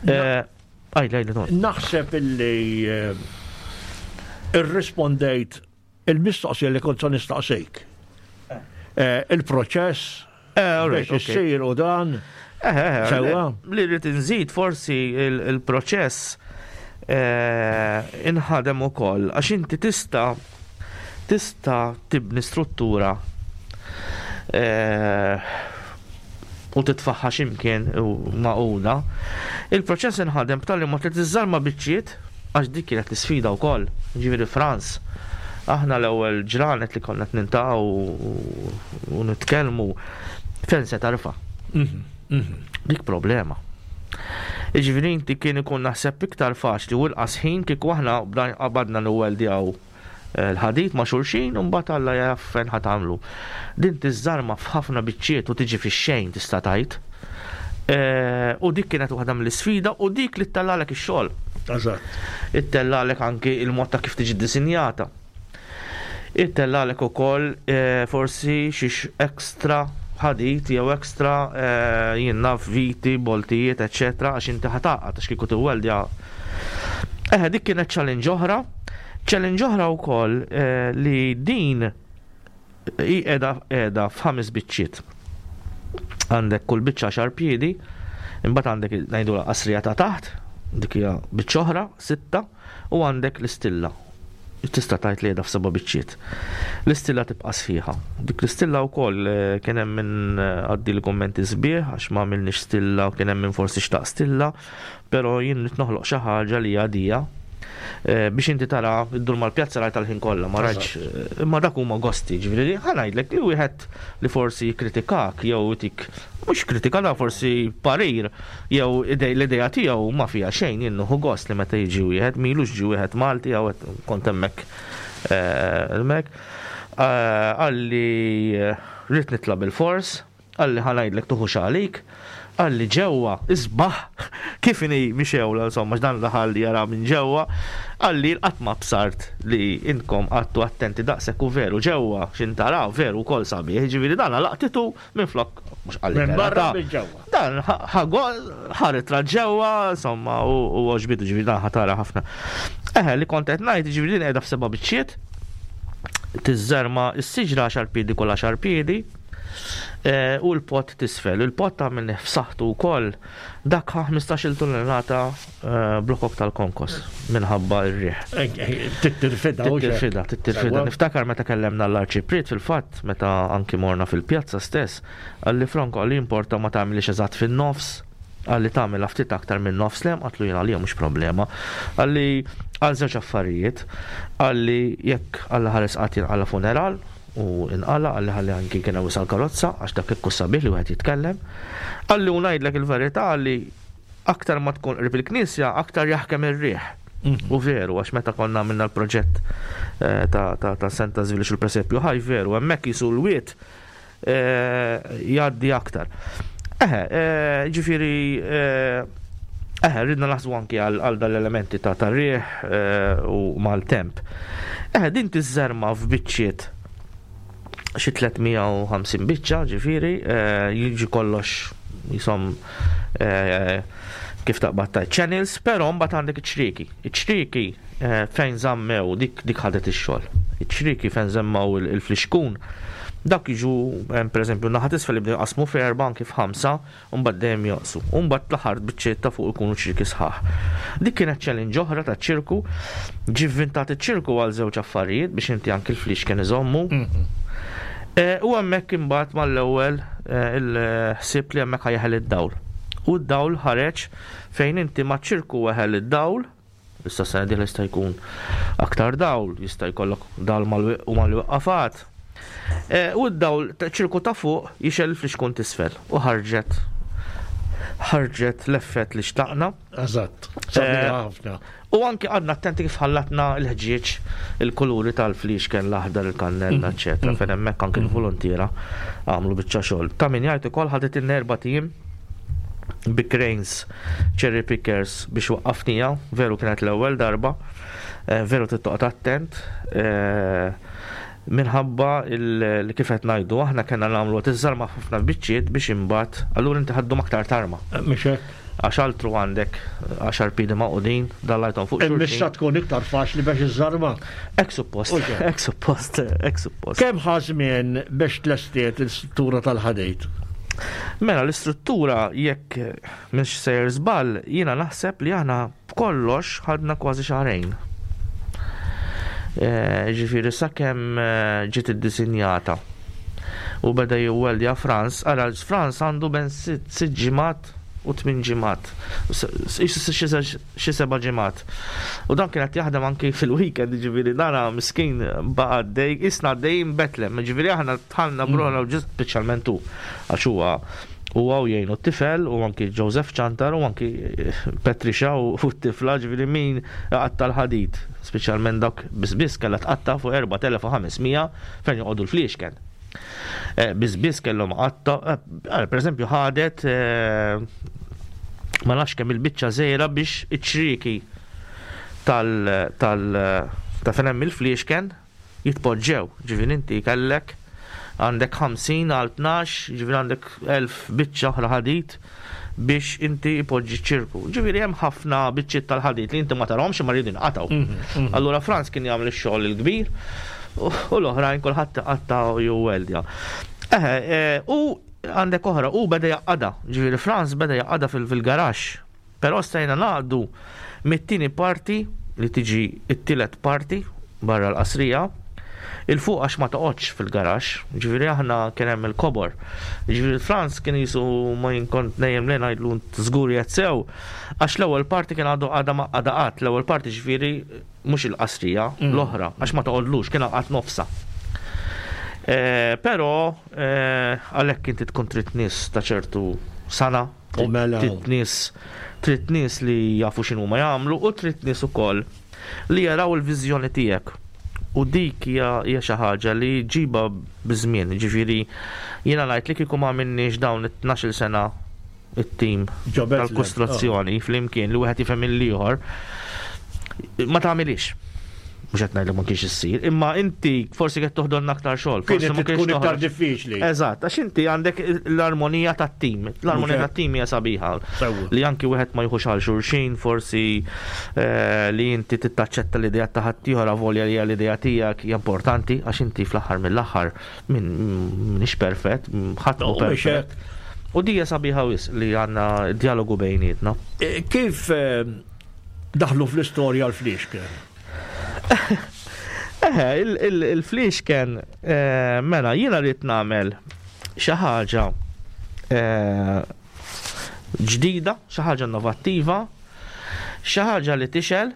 Għidli, għidli, Tony. Naħseb illi irrispondejt Il-mistoqsija li kont se nistaqsik. Eh, il-proċess eh, biex issir u dan. Eh, Sewwa. Li rrid inżid forsi il-proċess inħadem ukoll għax inti tista' tista' tibni struttura u titfaħħa x'imkien u magħquda. Il-proċess inħadem b'tali mod li tiżżarma biċċiet Għax dik kienet l-isfida wkoll. Jiġifieri Frans, aħna l-ewwel ġranet li konna qed niltaqgħu u nitkellmu fejn se tarfa'. Dik problema. Jiġifieri inti kien ikun naħseb iktar faċli u inqas ħin kieku aħna qabadna niwweldjaw l-ħadid ma' xulxin u mbagħad Alla jaf fejn ħa tagħmlu. Din tiżżarma f'ħafna biċċiet u tiġi fix-xejn tista' tgħid. U dik kienet waħda mill-isfida u dik li ttellalek ix-xogħol. Eżatt. Ittellalek anki il-mod ta' kif tiġi ddisinjata. Ittellalek ukoll forsi xi extra ħadid jew extra jien naf viti, boltijiet, eċċetera għax inti ħa tgħaqqad għax kieku tiwweldja. Eħe dik kienet challenge oħra. Challenge oħra wkoll li din hi qiegħda qiegħda f'ħames biċċiet. Għandek kull biċċa għaxar piedi, imbagħad għandek ngħidulha qasrija ta' taħt, dik hija biċċa oħra, sitta, u għandek l-istilla. Tista' tgħid li qiegħda f'seba' biċċiet. L-istilla tibqa' sħiħa. Dik l-istilla wkoll eh, kien hemm min eh, għaddi l-kummenti sbieħ għax ma għamilniex stilla u kien hemm min forsi xtaq stilla, però jien nrid noħloq xi ħaġa li hija dija eh, biex inti tara ddur mal-pjazza rajt tal-ħin kollha, ma rajtx imma dak huma gosti, ġifieri ħa ngħidlek li wieħed li forsi jikkritikak jew itik mhux kritika da forsi parir jew l-idea tiegħu ma fiha xejn jien nieħu gost li meta jiġi wieħed m'ilux ġie wieħed Malti jew kont hemmhekk eh, hemmhekk eh, qalli rrid nitla' bil-fors Qalli ħa ngħidlek tuħux għalik. Qalli ġewwa isbaħ kif inhi mixewla insomma x'dan daħal jara minn ġewwa. Qalli qatt ma bsart li intkom qgħadtu attenti daqshekk u veru ġewwa x'int taraw veru wkoll sabiħ. Jiġifieri dan laqtitu minflok mhux qalli Minn barra minn ġewwa. Dan ħa ritratt ġewwa insomma u għoġbitu ġifieri dan ħa tara ħafna. Eħe li kont qed ngħid jiġifieri din qiegħda f'seba' biċċiet. Tiżżerma s-siġra għaxar piedi kull għaxar piedi. Eh, u l-pot tisfel. Il-pot għamilnih f'saħħtu wkoll dak ħa 15-il tunnellata eh, blokok tal-konkos minħabba r-riħ. Tittirfida. Tittirfida, tittirfida. Niftakar meta kellemna l-arċipriet fil-fatt, meta anki morna fil-pjazza stess, għalli Franco għalli importa ma tagħmilix eżatt fin-nofs. Qalli tagħmilha ftit aktar minn nofs lem, għatlu jien għalija mhux problema. Qalli għal żewġ affarijiet. Qalli jekk Alla ħares qatt jinqala' funeral u inqala' qalli ħalli anki kien hemm wisal karozza għax dak hekk hu sabiħ li wieħed jitkellem. Qalli u ngħidlek il-verità qalli aktar ma tkun qrib il-knisja aktar jaħkem ir-riħ. Mhm. U veru, għax meta konna għamilna l-proġett eh, ta' Santa Żvilix il-presepju ħaj veru, hemmhekk jisu l-wiet eh, jgħaddi aktar. Eħe, eh, ġifiri, eħe, ridna naħsbu anki għal dal-elementi ta' tarriħ u mal-temp. Eħe, din tiżżerma f'biċċiet xi 350 biċċa, ġifieri, jiġi kollox jisom kif taqbad ta' channels, però mbagħad għandek iċ-ċrieki. Iċ-ċrieki fejn żammew dik dik ħadet ix-xogħol. Iċ-ċrieki fejn żemmaw il-flixkun dak jiġu pereżempju naħa t'isfel jibdew jqasmu f'erba' anki f'ħamsa u mbagħad dejjem jonqsu. U mbagħad l-aħħar biċċiet ta' fuq ikunu ċrieki sħaħ. Dik kienet challenge oħra taċ-ċirku. Ġie vvintat iċ-ċirku għal żewġ affarijiet biex inti anki l-flixken iżommu. U hemmhekk imbagħad mal-ewwel il-ħsieb li hemmhekk ħa jeħel id-dawl. U d-dawl ħareġ fejn inti maċ-ċirku weħel id-dawl, Issa s-sena dieħla jista' jkun aktar dawl, jista' jkollok dawl u mal-wiqqafat. E, u d-dawl ċirku ta' fuq jixel il-flixkun t'isfel u ħarġet ħarġet l-effett li xtaqna. Eżatt, e, ħafna. U anki għadna attenti kif ħallatna l-ħġieġ, il-kuluri tal-flixken, l-aħdar, il-kannella, mm. eccetera. Mm. Fejn hemmhekk anki mm. l-volontiera għamlu biċċa xogħol. Ta' min jgħid ukoll ħadet in-erba' tim bi cranes, cherry pickers biex waqqafnija, veru kienet l-ewwel darba, eh, veru trid toqgħod attent eh, minħabba li kif qed ngħidu aħna kellna nagħmlu qed iżżarma ħafna biċċiet biex imbagħad allura inti ħaddum aktar tarma. Eh, mhux hekk. Għax altru għandek għaxar piedi magħqudin, dallajthom fuq xulxin. Imma tkun iktar faċli biex iżżarma. Hekk suppost, hekk suppost, hekk suppost. Kemm ħa żmien biex tlestiet l-istruttura tal-ħadid? Mela l-istruttura jekk mhix sejjer żball, jiena naħseb li aħna b'kollox ħadna kważi xahrejn. Eh, ġifieri sakemm eh, ġiet iddisinjata u beda jiweldja Franz, ara Franz għandu ben sitt ġimgħat u tmien ġimgħat. Xi seba' ġimgħat. U dan kien qed jaħdem anki fil-weekend, jiġifieri dana miskin baqa' għaddej, qisna għaddejjin Betlem, jiġifieri aħna dħalna b'ruħna u ġism speċjalment hu għax huwa huwa u jgħinu t-tifel u anki Joseph Ciantar u anki Patricia u t-tifla, ġifieri min iqatta' l-ħadid, speċjalment dawk biss biss kellha tqatta' fuq 4500 fejn joqogħdu l-fliexken. Eh, biss biss kellhom qatta, eh, per eżempju ħadet eh, ma nafx kemm il-biċċa żgħira biex iċ-ċrieki tal tal ta' fejn hemm il-fliexken jitpoġġew. Ġifieri inti kellek għandek 50 għal 12, ġifieri għandek 1000 biċċa oħra ħadid biex inti ipoġġi ċirku. Ġifieri hemm ħafna biċċiet tal-ħadid li inti ma tarahomx imma rridu jinqatgħu. Mhm, mhm. Allura Franz kien jagħmel ix-xogħol il-kbir u l-oħrajn kulħadd iqatta' jew weldja. Eħe, e, u għandek oħra, u beda jaqada, ġifieri Franz beda jaqada fil-garaxx. Però stajna naqdu mit-tieni parti li tiġi t-tielet parti barra l-qasrija, 'il fuq għax ma toqgħodx fil-garaxx, jiġifieri aħna kien hemm il-kobor. Jiġifieri Franz kien qisu ma jien kont nejjem lejh ngħidlu int żgur qiegħed sew, għax l-ewwel parti kien għadu għadha ma qagħda qatt, l-ewwel parti jiġifieri mhux il-qasrija, l-oħra, għax ma toqgħodlux, kien għaqad nofsha. Però għalhekk inti tkun trid nies ta' ċertu sengħa. U mela. Trid nies trid nies li jafu x'inhuma jagħmlu u trid nies ukoll li jaraw il-viżjoni tiegħek. U dik hija hija xi ħaġa li ġġibha biż-żmien. Jiġifieri jiena ngħid li kieku ma għamilniex dawn it-tnax-il sena it-tim Ġo Bethlehem, tal-kostruzzjoni flimkien li wieħed jifhem il-ieħor, ma tagħmilhiex. Mhux qed ngħidlek ma kienx issir, imma inti forsi qed toħdolna aktar xogħol. Forsi Kienet ma kienx tkun iktar toħroġ. diffiċli. Eżatt, għax inti għandek l-armonija tat-tim. L-armonija tat-tim hija sabiħa. Sewwa. Li anki wieħed ma jieħux għal xulxin, forsi eh, li inti tittaċċetta l-idea ta' ħaddieħor avolja li hija l-idea tiegħek hija importanti għax inti fl-aħħar mill-aħħar min minix perfett, ħadd mhu No, mhux perfett. U di hija sabiħa wisq li għandna dialogu bejnietna. Eh, Kif eh, daħlu fl-istorja l-fliexken? Eħe, il-fliexken, eh, mela, jiena rrid nagħmel xi ħaġa eh, ġdida, xi ħaġa innovattiva, xi ħaġa li tixgħel,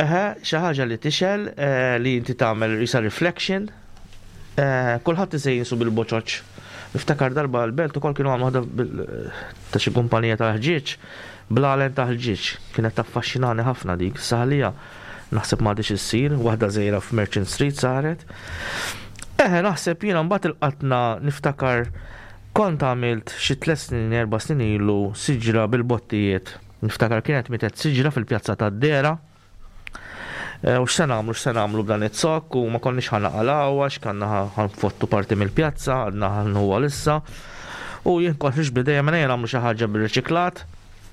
eħe, xi ħaġa li tixgħel eh, li inti tagħmel isa reflection, eh, kulħadd isejjinsu bil-boċoċ. Niftakar darba l-belt ukoll kienu għamlu waħda ta' xi kumpanija tal-ħġieġ, blalen ta' ħġieġ, kienet taffaxxinani ħafna dik, saħlija naħseb m'għadhiex issir, waħda żgħira f'Merchant Street saret. Eħe, naħseb jiena mbagħad il-qatna niftakar Kont għamilt xi tlett snin erba' snin ilu siġra bil-bottijiet. Niftakar kienet mietet siġra fil-pjazza tad-Dehra. U x'se nagħmlu, x'se nagħmlu b'dan iz-zokk u ma konniex ħa naqalgħu għax kanna ħa nfottu parti mill-pjazza, għadna ħa nħuha lissa. U jien kont ħriġt b'idea mela ejja nagħmlu xi ħaġa bir-riċiklat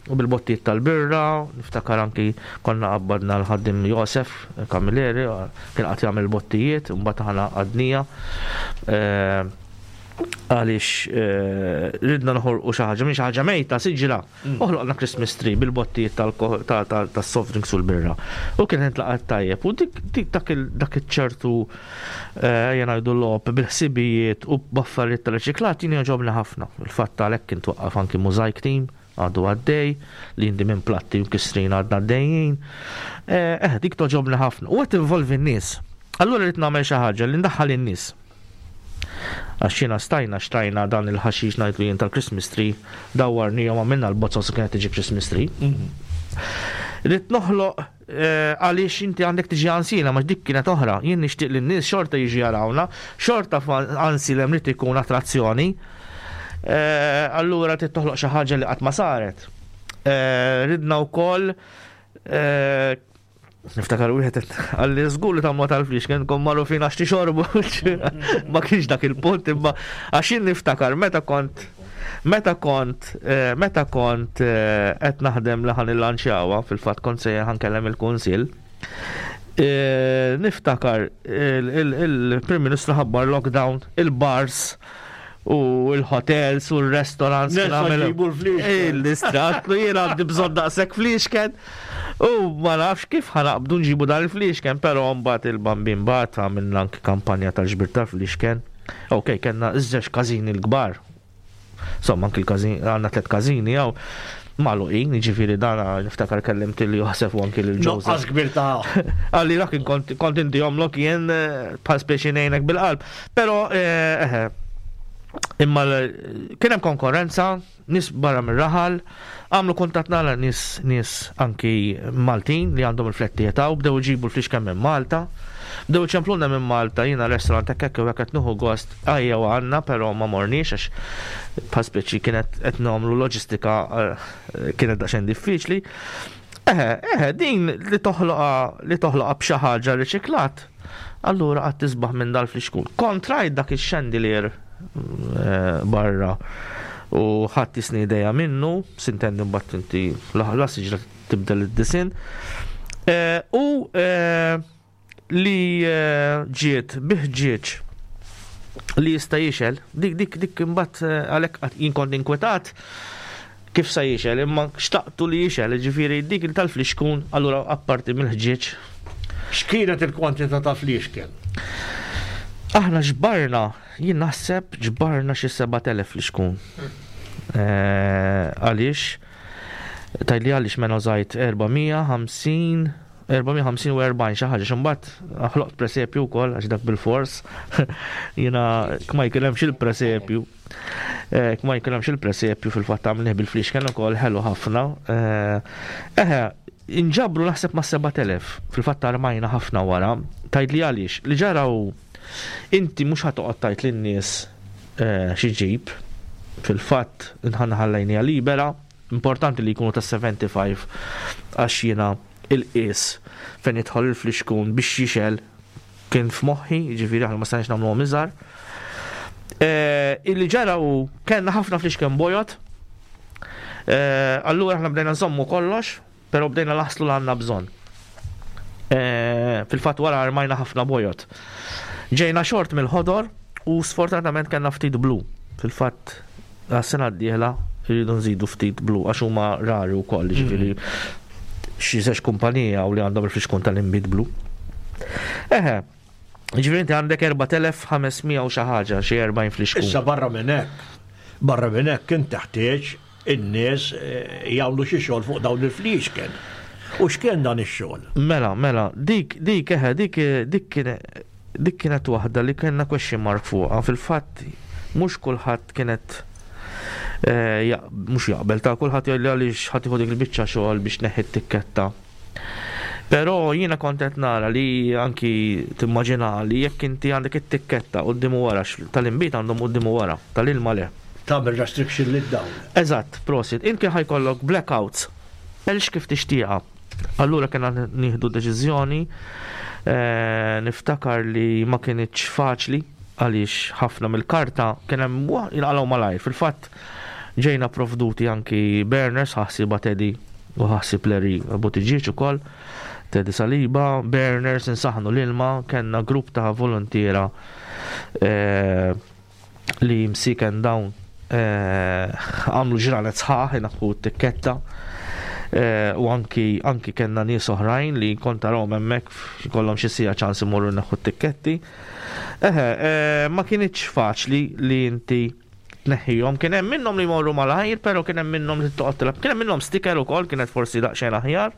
u bil-bottijiet tal-birra, niftakar anki konna qabbadna l-ħaddiem Josef Camilleri, kien qagħad jagħmel il-bottijiet, u mbagħad aħna għaqqadniha. Għaliex eh, ridna noħolqu xi ħaġa minn xi ħaġa mejta siġra. Mm. Oħloqna Christmas tree bil-bottijiet tas-soft drinks u l-birra. U kien intlaqat tajjeb. U dik dak iċ-ċertu eh, jien ngħidu logħob bil-ħsibijiet u b'affarijiet tal-riċiklat jien jogħġobni ħafna. Il-fatt għalhekk kien twaqqaf anki Mosaic Team għadu għaddej, li jindi minn platti u kisrin għadna għaddejjin. Eh, eh dik toġobni ħafna. U għet involvi n-nies. Allura rrid nagħmel xi ħaġa li ndaħħal in-nies. Għax jiena stajna xtrajna dan il-ħaxix ngħidlu jien tal-Christmas tree, dawwarnihom għamilna l-bozzos u kienet tiġi Christmas tree. Mhm. Rrid noħloq eh, għaliex inti għandek tiġi għansila, ma dik kienet oħra. Jien nixtieq li n-nies xorta jiġi jarawna, xorta għansilem li ikun attrazzjoni. Eh, allura trid toħloq xi ħaġa li qatt ma saret. Eh, ridna wkoll Niftakar wieħed għalli żgur li tagħmlu tal-flix kien kom magħrufin għax tixorbu. Ma kienx dak il-punt imma għax jien niftakar meta kont meta kont eh, meta kont eh, qed naħdem li ħan illanċjawha fil-fatt kont se ħankellem il-kunsill. Eh, niftakar il-Prim Ministru ħabbar lockdown, il-bars u l-hotels u l-restaurants. Il-istrat, jien għandi bżonn daqshekk fliexken. U ma nafx kif ħanaqbdu nġibu dan il-fliexken, però mbagħad il-bambin bat għamilna anki kampanja tal-ġbir tal-fliexken. Ok, kellna iż-żewġ każini l-kbar. Insomma, anki l-każin, għandna tliet każini hawn magħluqin, jiġifieri dan niftakar kellimt lil Josef u anki lil Joseph. Nuqqas kbir ta' Għalli dak kont kont intihomlok jien eh, bħal speċi ngħinek bil-qalb. Però eh, eh, imma kien hemm konkurrenza, nies barra mir-raħal, għamlu kuntatt nara nies nies anki Maltin li għandhom il-flettijiet hawn, bdew iġibu l-flixken minn Malta. Bdew iċemplulna minn Malta, jiena restaurant hekk hekk u hekk qed nieħu gost ejjew għandna, però ma morniex għax bħal speċi kienet qed nagħmlu loġistika eh, kienet daqsxejn diffiċli. Eħe, eħe, din li toħloqha li toħloqha b'xi ħaġa riċiklat, allura qatt tisbaħ minn dal-flixkun. Kont rajt dak ix-chandelier eh, barra u ħadd jisni idea minnu, sintendi mbagħad inti la siġra tibdel id-disinn. Eh, u eh, li eh, ġiet bi ħġieġ li jista' jixel, dik dik dik imbagħad eh, għalhekk jien kont inkwetat kif sa jixel, imma xtaqtu li jixel, ġifieri dik tal-flixkun allura apparti mill-ħġieġ. X'kienet il-kwantità ta' fliexken? Aħna ġbarna, jien naħseb ġbarna xi 7000 flixkun. Eh, għaliex? Tgħidli għaliex mela użajt 450 450 u 40 xi ħaġa x'imbagħad ħloqt presepju wkoll għax dak bil-fors. Jiena kma jkun hemmx il-presepju. Eh, kma jkun hemmx il-presepju fil-fatt għamlih bil-flixken ukoll ħelu ħafna. Eh, eħe, inġabru naħseb ma' 7000 fil-fatt armajna ħafna wara. Tgħidli għaliex li ġara hu inti mhux ħa toqgħod tgħid lin-nies eh, xi ġib. Fil-fatt inħanna ħallejniha libera. Importanti li jkunu ta' 75 għax jiena il-qies fejn jidħol il-flixkun biex jixgħel kien f'moħħi, jiġifieri aħna ma stajniex nagħmluhom iżgħar. Eh, illi ġara hu kellna ħafna flixken bojod. Eh, allura aħna bdejna nżommu kollox, però bdejna naħslu l għandna bżonn. Eh, fil-fatt wara armajna ħafna bojod. Ġejna xort mill-ħodor u sfortunatament kellna ftit blu. Fil-fatt għas-sena d-dieħla rridu nżidu ftit blu għax huma rari wkoll, jiġifieri xi żewġ kumpanija u li għandhom il-flixkun tal-inbid blu. Eħe, jiġifieri inti għandek 4500 u xi ħaġa, xi 40 flixkun. Issa barra minn hekk, Barra minn hekk kien teħtieġ in-nies eh, jagħmlu xi xogħol fuq dawn il-fliexken. U x'kien dan ix-xogħol? Mela, mela, dik, dik, eħe, dik, dik kien Dik kienet waħda li kellna question mark fuqha. Fil-fatt mhux kulħadd kienet eh, mhux jaqbel ta' kulħadd jgħidli għaliex ħadd ieħu dik il-biċċa xogħol biex neħħi t-tikketta. Però jiena kont qed nara li anki timmaġina li jekk inti għandek it-tikketta quddiem u wara tal-inbid għandhom quddiem u wara, tal-ilma le. Tagħmel restriction lid-dawl. Eżatt, prosit. Inti ħajkollok blackouts. Elx kif tixtieqha. Allura kena nieħdu deċiżjoni, eh, niftakar li ma kinitx faċli għaliex ħafna mill-karta kien hemm jinqalgħu malajr. Fil-fatt ġejna provduti anki burners ħaħsiba Teddy u ħaħsib Larry Buttigieg ukoll. Teddy Saliba, burners insaħnu l-ilma, kellna grupp ta' volontiera eh, li msiken dawn eh, għamlu ġranet sħaħ inaħħu t-tikketta eh, u anki anki kellna nies oħrajn li kont tarahom hemmhekk kollhom xi sija ċans imorru naħħu t-tikketti. Eħe, eh, ma kienitx faċli li inti tneħħihom. Kien hemm minnhom li jmorru malajr, però kien hemm minnhom li toqgħod tilab. Kien hemm minnhom sticker ukoll kienet forsi daqsxejn aħjar.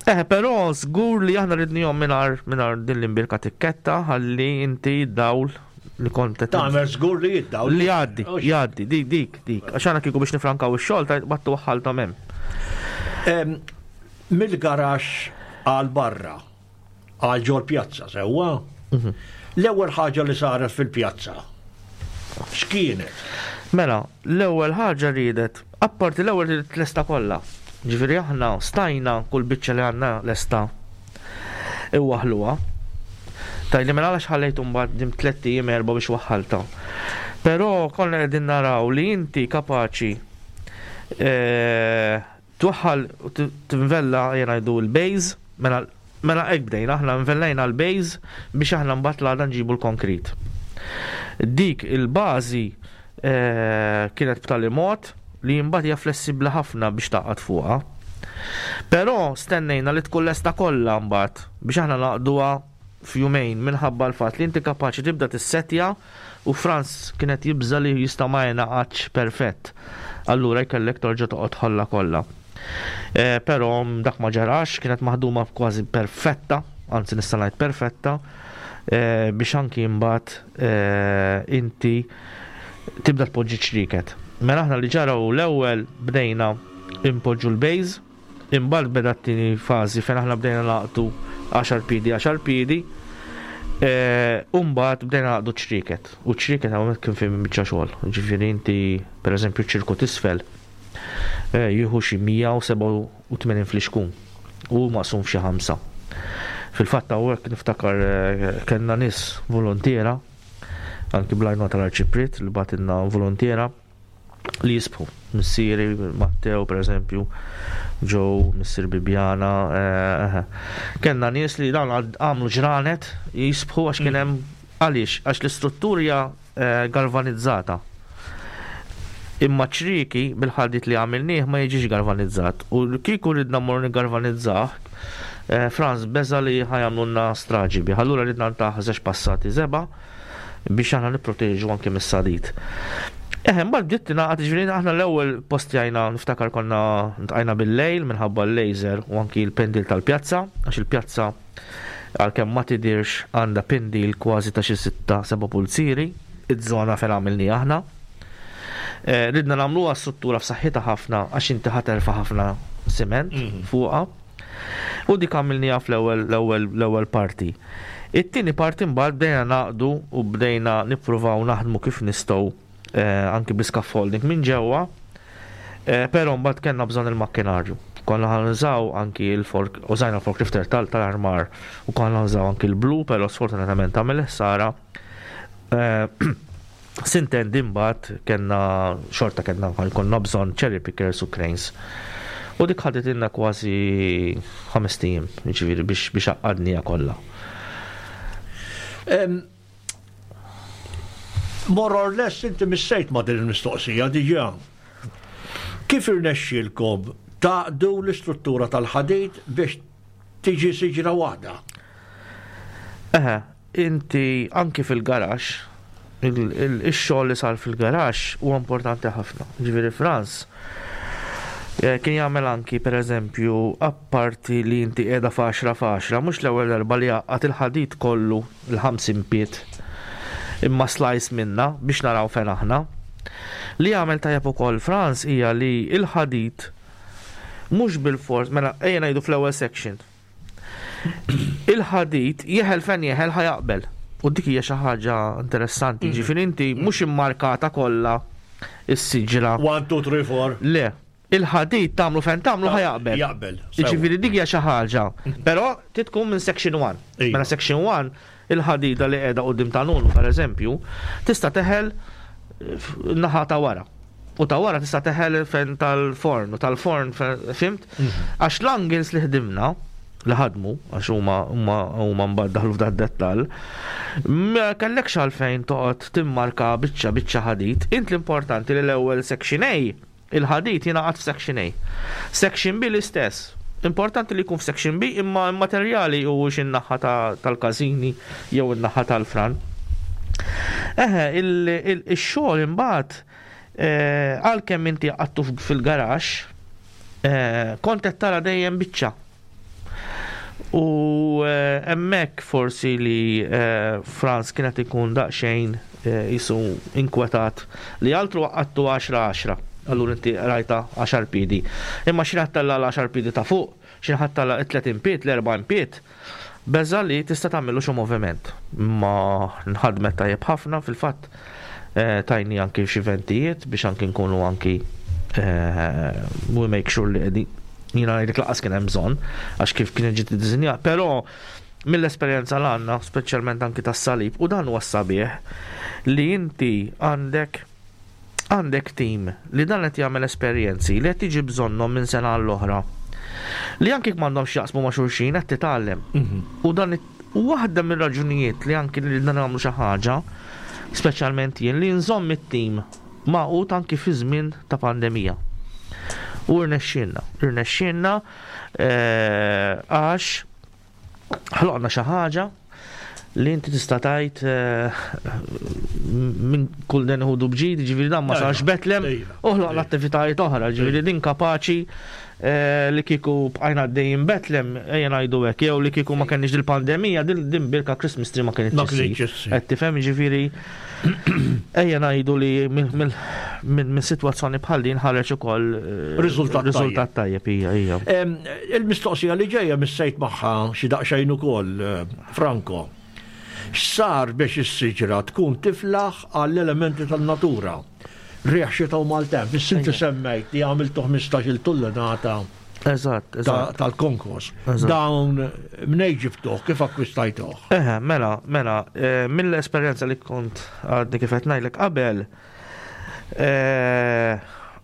Eħe, però żgur li aħna ridnihom mingħajr mingħajr din l-imbirka tikketta ħalli inti dawl li kont qed Tagħmel żgur li jiddawl. Li jgħaddi, jgħaddi, dik, dik, dik. Għax aħna kieku biex nifrankaw ix-xogħol ta' battu waħħalthom hemm. Mill-garaxx għal barra, għal ġol pjazza sewwa. Mhm. L-ewwel ħaġa li saret fil-pjazza. X'kienet? Mela, l-ewwel ħaġa riedet, apparti l-ewwel riedet lesta kollha. Ġifieri aħna stajna kull biċċa li għandna lesta iwaħħluha. Tgħidli mela għalax ħallejtu mbagħad dim tlett ijiem erba' biex waħħaltha. Però konna qegħdin naraw li inti kapaċi eh, twaħħal tinvella jgħidu l-base, mela mela hekk bdejna aħna nvellajna l-base biex aħna mbagħad l-għada nġibu l-konkrit. Dik il-bażi eh, kienet b'tali mod li mbagħad hija flessibbli ħafna biex taqgħad fuqha. Però stennejna li tkun lesta kollha mbagħad biex aħna naqduha f'jumejn minħabba l-fatt li inti kapaċi tibda tissettja u Franz kien qed jibża' li jista' ma jingħaqadx perfett. Allura jkellek torġa' toqgħod tħollha kollha. Eh, però dak ma ġarax, kienet maħduma kważi perfetta, anzi nista' ngħid perfetta, eh, biex anki mbagħad eh, inti tibda tpoġġi ċrieket. Mela aħna li ġara hu l-ewwel bdejna impoġġu l-base, imbagħad beda t-tieni fażi fejn aħna bdejna naqdu 10 piedi 10 piedi, e, u mbagħad bdejna naqdu ċrieket. U ċrieket hawnhekk kien fejn biċċa xogħol. Ġifieri inti pereżempju ċirku t'isfel e, jieħu xi 187 flixkun u maqsum f'xi ħamsa. Fil-fatt hawnhekk niftakar e, kellna nies volontiera anki bl-għajnuna tal-Arċipriet li bagħtilna volontiera li jisbħu. Missieri Matteo per eżempju, Joe, missier Bibjana, eh, eh. kellna nies li dawn għamlu ġranet jisbħu għax kien hemm għaliex għax l-istruttura eh, galvanizzata. Imma ċriki bil-ħadid li għamilnieh ma jiġix galvanizzat u kieku ridna mmorru niggalvanizzah, eh, Franz beża li ħajamlulna straġi bih. Allura ridna ntaħ żewġ passati żebgħa biex aħna nipproteġu anke mis-sadid. Eħe, mbagħad bdiet tingħaqad ġifieri aħna l-ewwel postjajna niftakar konna ntqajna bil-lejl minħabba l-laser u anki l-pendil tal-pjazza, għax il-pjazza għalkemm ma tidirx għandha pendil kważi ta' xi sitta seba' pulzieri, iż-żona fejn għamilni aħna. Eh, ridna nagħmluha struttura f'saħħitha ħafna għax inti ħaterfa' ħafna siment mhm. fuqha. U dik għamilniha fl-ewwel l-ewwel l-ewwel parti. It-tieni parti mbagħad bdejna naqdu u bdejna nippruvaw naħdmu kif nistgħu eh, anki bl-scaffolding minn ġewwa, eh, però mbagħad kellna bżonn il-makkinarju. Konna ħanużaw anki l-fork, użajna l-forklifter tal-armar u konna użaw anki l-blu, però sfortunatament għamel ħsara. Eh, Sintendi imbagħad kellna xorta kellna jkollna bżonn cherry pickers u cranes. U dik ħaditilna kważi ħamest ijiem, jiġifieri biex biex għaqqadniha kollha. More or less inti missejt ma' din il-mistoqsija diġà. Kif irnexxielkom tgħaqqdu l-istruttura tal-ħadid biex tiġi siġra waħda? Eħe, Inti anki fil-garaxx, Ix-xogħol li sar fil-garaxx huwa importanti ħafna. Ġifieri Franz eh, kien jagħmel anki pereżempju apparti li inti qiegħda f'għaxra f'għaxra, mhux l-ewwel darba li għaqqad il-ħadid kollu l-50 pied imma slice minna biex naraw fejn aħna. Li jagħmel tajjeb ukoll Franz hija li l-ħadid mhux bilfors, mela ejja ngħidu fl-ewwel section. Il-ħadid jeħel fejn jeħel ħa jaqbel. U dik hija xi ħaġa interessanti, ġifieri inti mhux immarkata kollha is-siġra. 1, 2, 3, 4. Le, il-ħadid tagħmlu fejn tagħmlu ħa jaqbel. Jaqbel. Jiġifieri dik hija xi ħaġa. Però trid tkun minn section 1. Mela section 1 il-ħadida li qiegħda quddiem ta' Nunu pereżempju, tista' teħel naħa ta' wara. U ta' wara tista' teħel fejn tal-forn u tal-forn fimt? Mhm. Għax l-angles li ħdimna, li ħadmu, għax huma huma huma mbagħad daħlu f'dan dettall, ma kellekx għalfejn toqgħod timmarka biċċa biċċa ħadid. Int l-importanti li l-ewwel section A Il-ħadid jingħaqad f'Section A. Section B l-istess. Importanti li jkun f'Section B imma immaterjali huwiex in-naħa tal-każini jew in-naħa tal-fran. Eħe, ix-xogħol imbagħad eh, għalkemm inti għattu fil-garaxx, eh, kont qed tara dejjem biċċa. U eh, hemmhekk forsi li eh, Franz kien qed ikun daqsxejn eh, jisu inkwetat li altru għattu 10-10. Allura inti rajta 10 pidi. Imma xi ħadd tella l-10 pidi ta' fuq, xi ħadd tella 30 pied, l-40 pied, beża li tista' tagħmillu xi moviment. Ma nħadmet tajjeb ħafna fil-fatt tajni anki xi ventijiet biex anki nkunu anki we make sure li qegħdin jiena ngħidlek laqas kien hemm bżonn għax kif kien ġiet iddisinjat, però mill-esperjenza l għandna, speċjalment anki tas-salib, u dan huwa sabiħ li inti għandek għandek tim li dan qed jagħmel esperjenzi li qed tiġi bżonnhom minn sena għall-oħra. Li anki m'għandhomx jaqsmu ma' xulxin qed titgħallem. Mhm. U dan waħda mir-raġunijiet li anki li nagħmlu xi ħaġa, speċjalment jien li nżomm it-tim magħqud anki fi żmien ta' pandemija. U rnexxielna, rnexxielna eh, għax ħloqna xi ħaġa li inti tista' tgħid eh, minn kull den ħudu bġid, ġifieri dan ma sarx Betlem, u ħloqna attivitajiet oħra, ġifieri din kapaċi eh, li kieku bqajna għaddejjin Betlem, ejja ngħidu hekk, jew li kieku ma kenniex dil-pandemija, din birka Christmas tree ma kinitx issir. Qed tifhem ġifieri Ejja ngħidu li minn sitwazzjoni bħal din ħareġ ukoll eh, riżultat tajjeb hija hija. Il-mistoqsija li ġejja missejt magħha xi daqsxejn ukoll, eh, Franco. X'sar biex is-siġra tkun tiflaħ għall-elementi tan-natura? Riħ xita u maltemp. Is-sinti semmejt li għamiltu 15-il tullenata Eżatt, eżatt. Tal-konkos. Dawn mnej ġibtuh, kif akkwistajtuh? Eħe, mela, mela, eh, mill-esperjenza li kont għadni kif qed ngħidlek qabel, eh,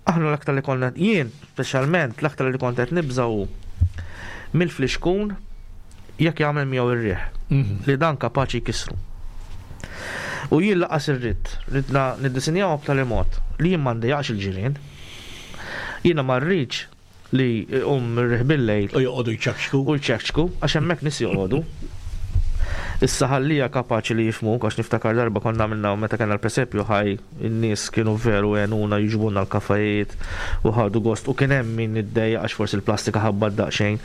aħna l-aktar li konna jien speċjalment l-aktar li kont qed nibżgħu mill-flixkun jekk jagħmel miegħu ir-riħ mhm. li dan kapaċi jkissru. U jien laqas irrid, ridna niddisinjaw b'tali mod li jien ma ndejjaqx il-ġirien. Jiena ma rridx li jqum ir-riħ bil-lejl. U joqogħdu jċekċku. U jċekċku, għax hemmhekk nies joqogħdu. Issa ħallija kapaċi li jifhmuk għax niftakar darba konna għamilna meta kellna l-presepju ħaj in-nies kienu veru għenuna jiġbulna l-kafajiet u ħadu gost u kien hemm min iddejjaq għax forsi l-plastika ħabbat daqsxejn.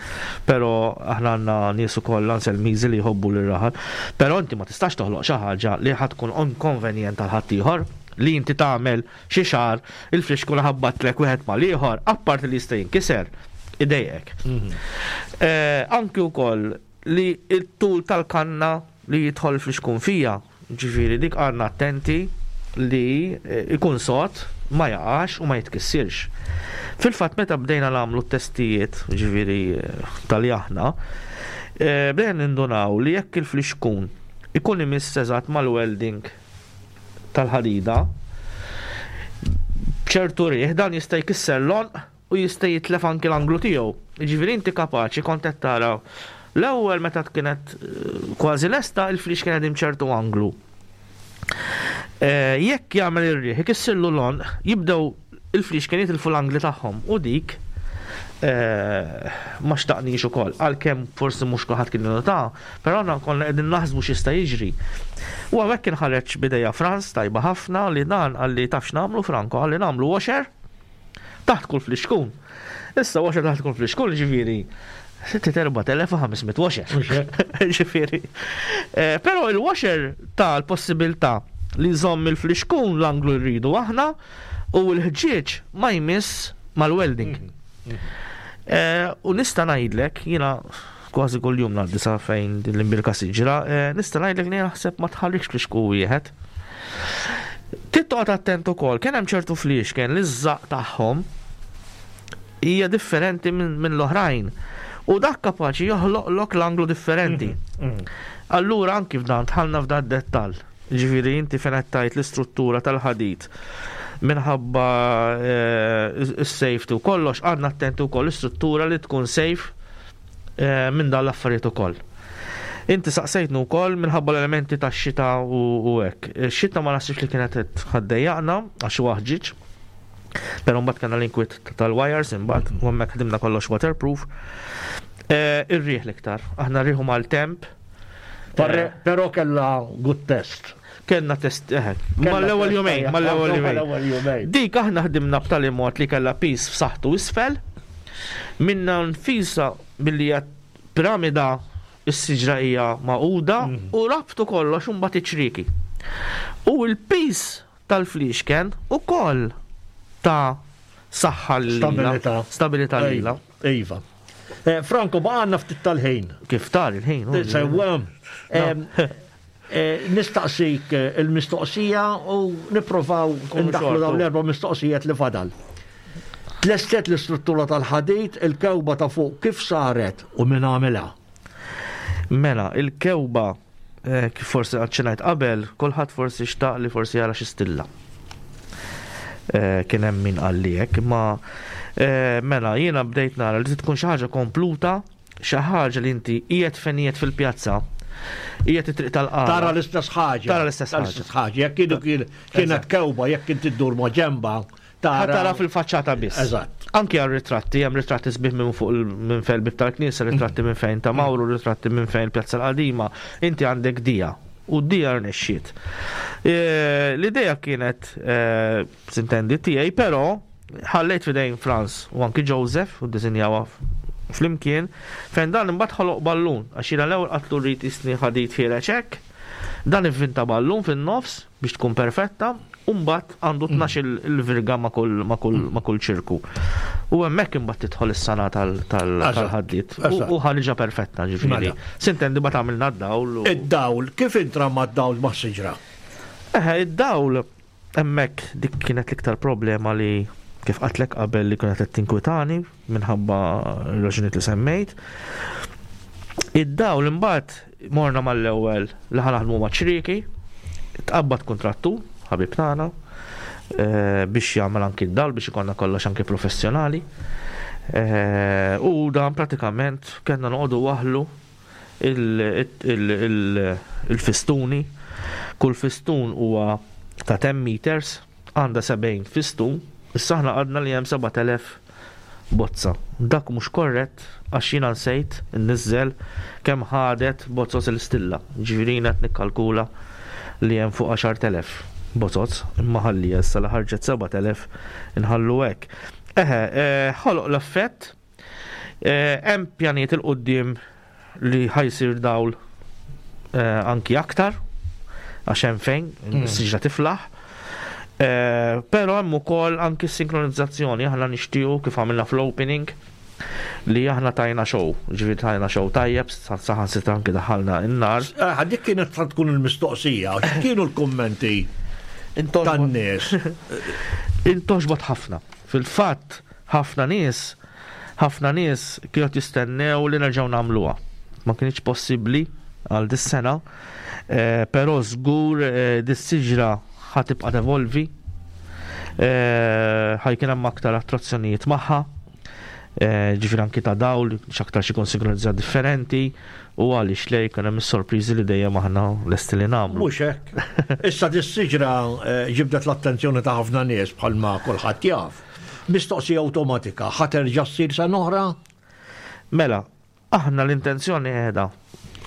Però aħna għandna nies ukoll Anselmiżi li jħobbu lir-raħal. Però inti ma tistax toħloq xi ħaġa li ħa tkun inkonvenjent għal ħaddieħor li inti tagħmel Xi xahar, il-flixkun ħabbatlek wieħed mal-ieħor, apparti li jista' jinkiser, idejqek. Mhm. Eh, anki wkoll li t-tul tal-kanna li jidħol il-flixkun fija, ġifieri dik għandna attenti li eh, ikun sod, ma jaqax u ma jitkissirx. Fil-fatt meta bdejna nagħmlu t-testijiet, ġifieri eh, tal aħna, bdejna nindunaw li jekk il-flixkun ikun imiss eżatt mal-welding tal-ħadida, b'ċertu riħ dan jista' jkisser l-għonq u jista' jitlef anki l-anglu tiegħu. Jiġifieri inti kapaċi kont qed tara l-ewwel meta kienet eh, kważi lesta il-flix kien qegħdin ċertu anglu. Eh, jekk jagħmel ir-riħ ikissirlu l-għonq, jibdew il-flix kien jitilfu l-angli tagħhom u dik Eh, ma xtaqniex ukoll, għalkemm forsi mhux kulħadd kien nota, però aħna konna qegħdin naħsbu x'jista' jiġri. U hawnhekk kien ħareġ bidejja Franz tajba ħafna li dan qalli taf x'nagħmlu Franco, qalli nagħmlu washer taħt kull flixkun. Issa washer taħt kull flixkun ġifieri 4500 washer. Ġifieri. Eh, però il-washer ta' l-possibilità li jżomm il-flixkun l-anglu rridu aħna u l-ħġieġ ma jmiss mal-welding. Mhm. Mhm. Eh, u nista' ngħidlek, jiena kważi kull jum ngħaddi sa fejn din l-imbirka siġra, eh, nista' ngħidlek li naħseb ma tħarrikx flixku wieħed. Tittoqgħod attent ukoll, kien hemm ċertu fliexken li ż-żaq tagħhom hija differenti minn l-oħrajn. U dak kapaċi joħloqlok l-anglu differenti. Mhm, mhm. Allura anki f'dan tħallna f'dan dettall. Ġifieri inti fejn qed tgħid l-istruttura tal-ħadid minħabba eh, s-safety u kollox, għandna attenti wkoll l-istruttura li tkun safe eh, minn dan l-affarijiet ukoll. Inti saqsejtnu wkoll minħabba l-elementi tax-xita u hekk. Xita ma naħsibx li kienet ħaddejjaqna għax huwa ħġieġ. Però mbagħad kellna l-inkwiet tal-wires imbagħad u hemmhekk ħdimna kollox waterproof. Eh, ir-riħ l-iktar. Aħna rriħu mal-temp. Eh. Però kellha good test. Kellna test, eħe. Mal-ewwel jumejn, mal-ewwel jumejn. Dik aħna ħdimna b'tali mod li kellha pis f'saħħtu isfel. Minna nfisa billi hija piramida is-siġra hija magħquda mhm. u rabtu kollox u mbagħad iċ-ċrieki. U l-pis tal-fliexken ukoll ta' saħħa lilha. Stabilità. Stabilità lilha. Iva. Eh, Franco, baqgħanna ftit tal-ħin. Kif tar il-ħin? Sewwa. Eh, nistaqsik eh, il-mistoqsija u nipprovaw ndaħlu dawn l-erba' mistoqsijiet li fadal. Tlestet l-istruttura tal-ħadid, il-kewba ta' fuq kif saret u min għamilha? Mela, il-kewba Eh, kif forsi għadċinajt qabel, kulħadd forsi xtaq li forsi jara xi stilla. Eh, kien hemm min qalli hekk, imma eh, mela jiena bdejt nara li tkun xi ħaġa kompluta, xi ħaġa li inti qiegħed fejn qiegħed fil-pjazza, qiegħed it-triq tal-qara. Tara l-istess ħaġa. Tara l-istess ħaġa. Jekk kienu kienet kewba, jekk inti ddur ma' ġemba, Tara tara fil-faċċata biss. Eżatt. Anki għal ritratti, hemm ritratti sbieħ minn fuq minn fejn bib tal-knisja, ritratti minn fejn ta' Mawru, ritratti minn fejn Pjazza l-Qadima, inti għandek dija u d-dija rnexxiet. E, l-idea kienet e, sintendi tiegħi, però ħallejt fidejn Franz u anki Joseph u ddisinjawha flimkien fejn dan imbagħad ħoloq ballun għax jiena l-ewwel qatlu rrid isni ħadid ħiereġ hekk. Dan ivvinta ballun fin-nofs biex tkun perfetta, u mbagħad għandu 12 il-virga ma' kull ma' kull ma' kull ċirku. U hemmhekk imbagħad tidħol is-sena tal-ħaddied. U ħariġa perfetta ġifieri. Mela. Sintendi ma tagħmilna d-dawl. Id-dawl, kif intrama d-dawl mas-siġra? Eħe, id-dawl hemmhekk dik kienet l-iktar problema li kif qatlek qabel li kienet qed tinkwitani minħabba r-raġunijiet li semmejt. Id-dawl imbagħad morna mal-ewwel li ħa naħdmu ma' ċrieki, tqabbad kuntrattur, ħabib tagħna, eh, biex jagħmel anki d-dawl biex ikollna kollox anki professjonali. Eh, u dan pratikament kellna noqogħdu waħlu il-fistuni. Kull fistun huwa ta' 10 meters, għandha 70 fistun, issa aħna għadna li hemm 7000 bozza. Dak mhux korrett għax jiena nsejt inniżżel kemm ħadet bozoz il-stilla. Ġifieri jiena qed nikkalkula li hemm fuq 10,000 bozoz, imma ħalli issa li ħarġet 7000 inħallu hekk. Eħe, eh, ħoloq l-effett Eh, hemm pjanijiet il-qudiem li ħajsir dawl eh, anki aktar għax hemm fejn mm. siġra tiflaħ. Eh, però hemm ukoll anki sinkronizzazzjoni aħna nixtiequ kif għamilna fl-opening li aħna tajna show, ġifieri tajna show tajjeb, saħan sitra anki daħalna in-nar. Eh, dik kienet tkun il-mistoqsija, kienu l-kummenti tan-nies. Intoxbot ħafna. Fil-fatt, Ħafna nies, ħafna nies kienu qed jistennew li nerġgħu nagħmluha. Ma kinitx possibbli għal dis-sena, eh, però żgur eh, dis-siġra ħa tibqa' tevolvi, eh, ħa jkun hemm aktar attrazzjonijiet magħha, ġifieri anki ta' dawl, x'aktar xi jkun sinkronizzat differenti, u għaliex le jkun hemm is-sorpriżi li dejjem aħna lesti li nagħmlu. Mhux hekk. Issa dis-siġra ġibdet l-attenzjoni ta' ħafna nies bħalma kulħadd jaf. Mistoqsija awtomatika, ħa terġa' ssir sena oħra? Mela, aħna l-intenzjoni qiegħda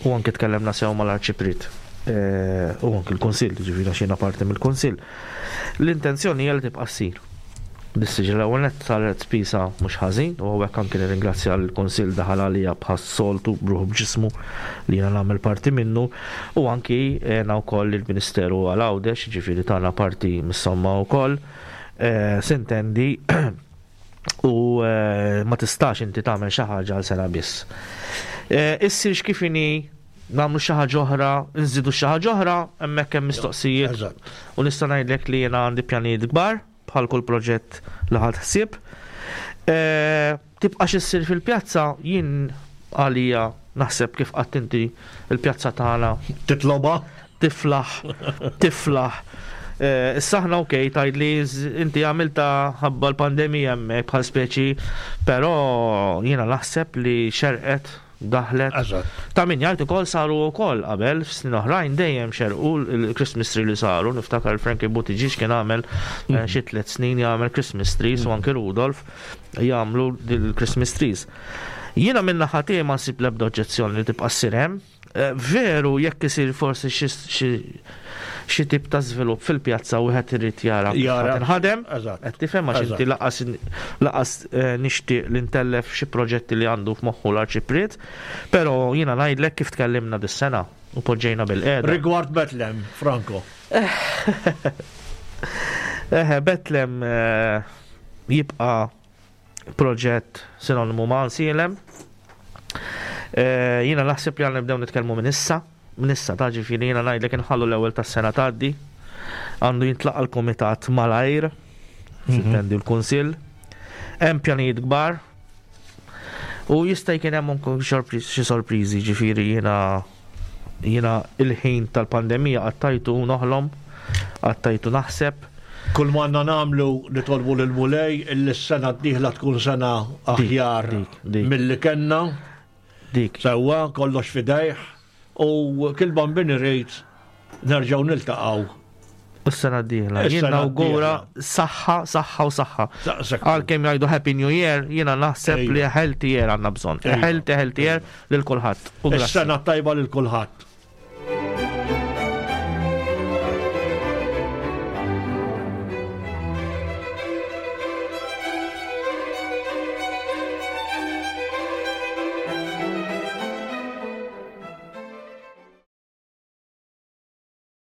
u anke tkellemna sew mal-Arċipriet eh, u anke l-Kunsill, ġifieri għax jiena parti mill-Kunsill. L-intenzjoni hija li tibqa' ssir. Dis-siġra l-ewwel nett saret spiża mhux ħażin u hawnhekk anke nirringrazzja lill-Kunsill daħal għalija bħas-soltu b'ruħu b'ġismu li jiena nagħmel parti minnu u anki għena wkoll il-Ministeru għal Għawdex, jiġifieri tana parti mis-somma wkoll. Sintendi u ma tistax inti tagħmel xi ħaġa għal sena biss. Issirx kif inhi nagħmlu xi ħaġa oħra, nżidu xi ħaġa oħra, hemmhekk hemm mistoqsijiet. U nista' ngħidlek li jiena għandi pjanijiet kbar bħal kull proġett li ħadt ħsieb. Tibqax issir fil-pjazza jien għalija naħseb kif qatt inti il-pjazza tagħna. Titlobha? Tiflaħ, tiflaħ. Issa aħna ok, tgħidli inti għamilta ħabba l-pandemija hemmhekk bħal speċi, però jiena naħseb li xerqet daħlet. Eżatt. Ta' min jgħid ukoll saru wkoll qabel f'snin oħrajn dejjem xerqu l-Christmas tree li saru, niftakar Frankie Buttigieg kien għamel eh, xi tliet snin jagħmel Christmas trees u anke Rudolf jagħmlu l-Christmas trees. Jiena minn naħa tiegħi ma nsib l-ebda oġġezzjoni li tibqa' ssir hemm. Eh, veru jekk isir forsi xi tip ta' żvilupp fil-pjazza wieħed irid jara jara tinħadem. Qed tifhem għax inti laqas laqas eh, nixtieq li ntellef xi proġetti li għandu f'moħħu l-arċipriet, però jiena ngħidlek kif tkellimna dis-sena u poġġejna bil-qiegħda. Rigward Betlem, Franco. Eh, Betlem eh, jibqa' proġett sinonimu ma' Ansielem. Eh, jiena naħseb li għandna nibdew nitkellmu minn issa, minn issa ta' ġifieri jiena ngħidlek inħallu l-ewwel tas-sena tgħaddi. Għandu jintlaqa' l-kumitat malajr, mhm. sintendi l-kunsill. Hemm pjanijiet kbar. U jista' jkun hemm xi sorpriżi ġifieri jiena Jiena il-ħin tal-pandemija qattajtu noħlom, qattajtu naħseb. Kull ma għandna nagħmlu nitolbu lill-Mulej illi s-sena d-dieħla tkun sena aħjar milli kellna. Dik. Sewwa, kollox f'idejh u kil bambin irid nerġgħu niltaqgħu Is-sena d-dieħla. Jien nawgura saħħa, saħħa u saħħa. Għalkemm jgħidu Happy New Year, jiena naħseb li healthy year għandna bżonn. Healthy, healthy year lil kulħadd. Is-sena tajba lil kulħadd.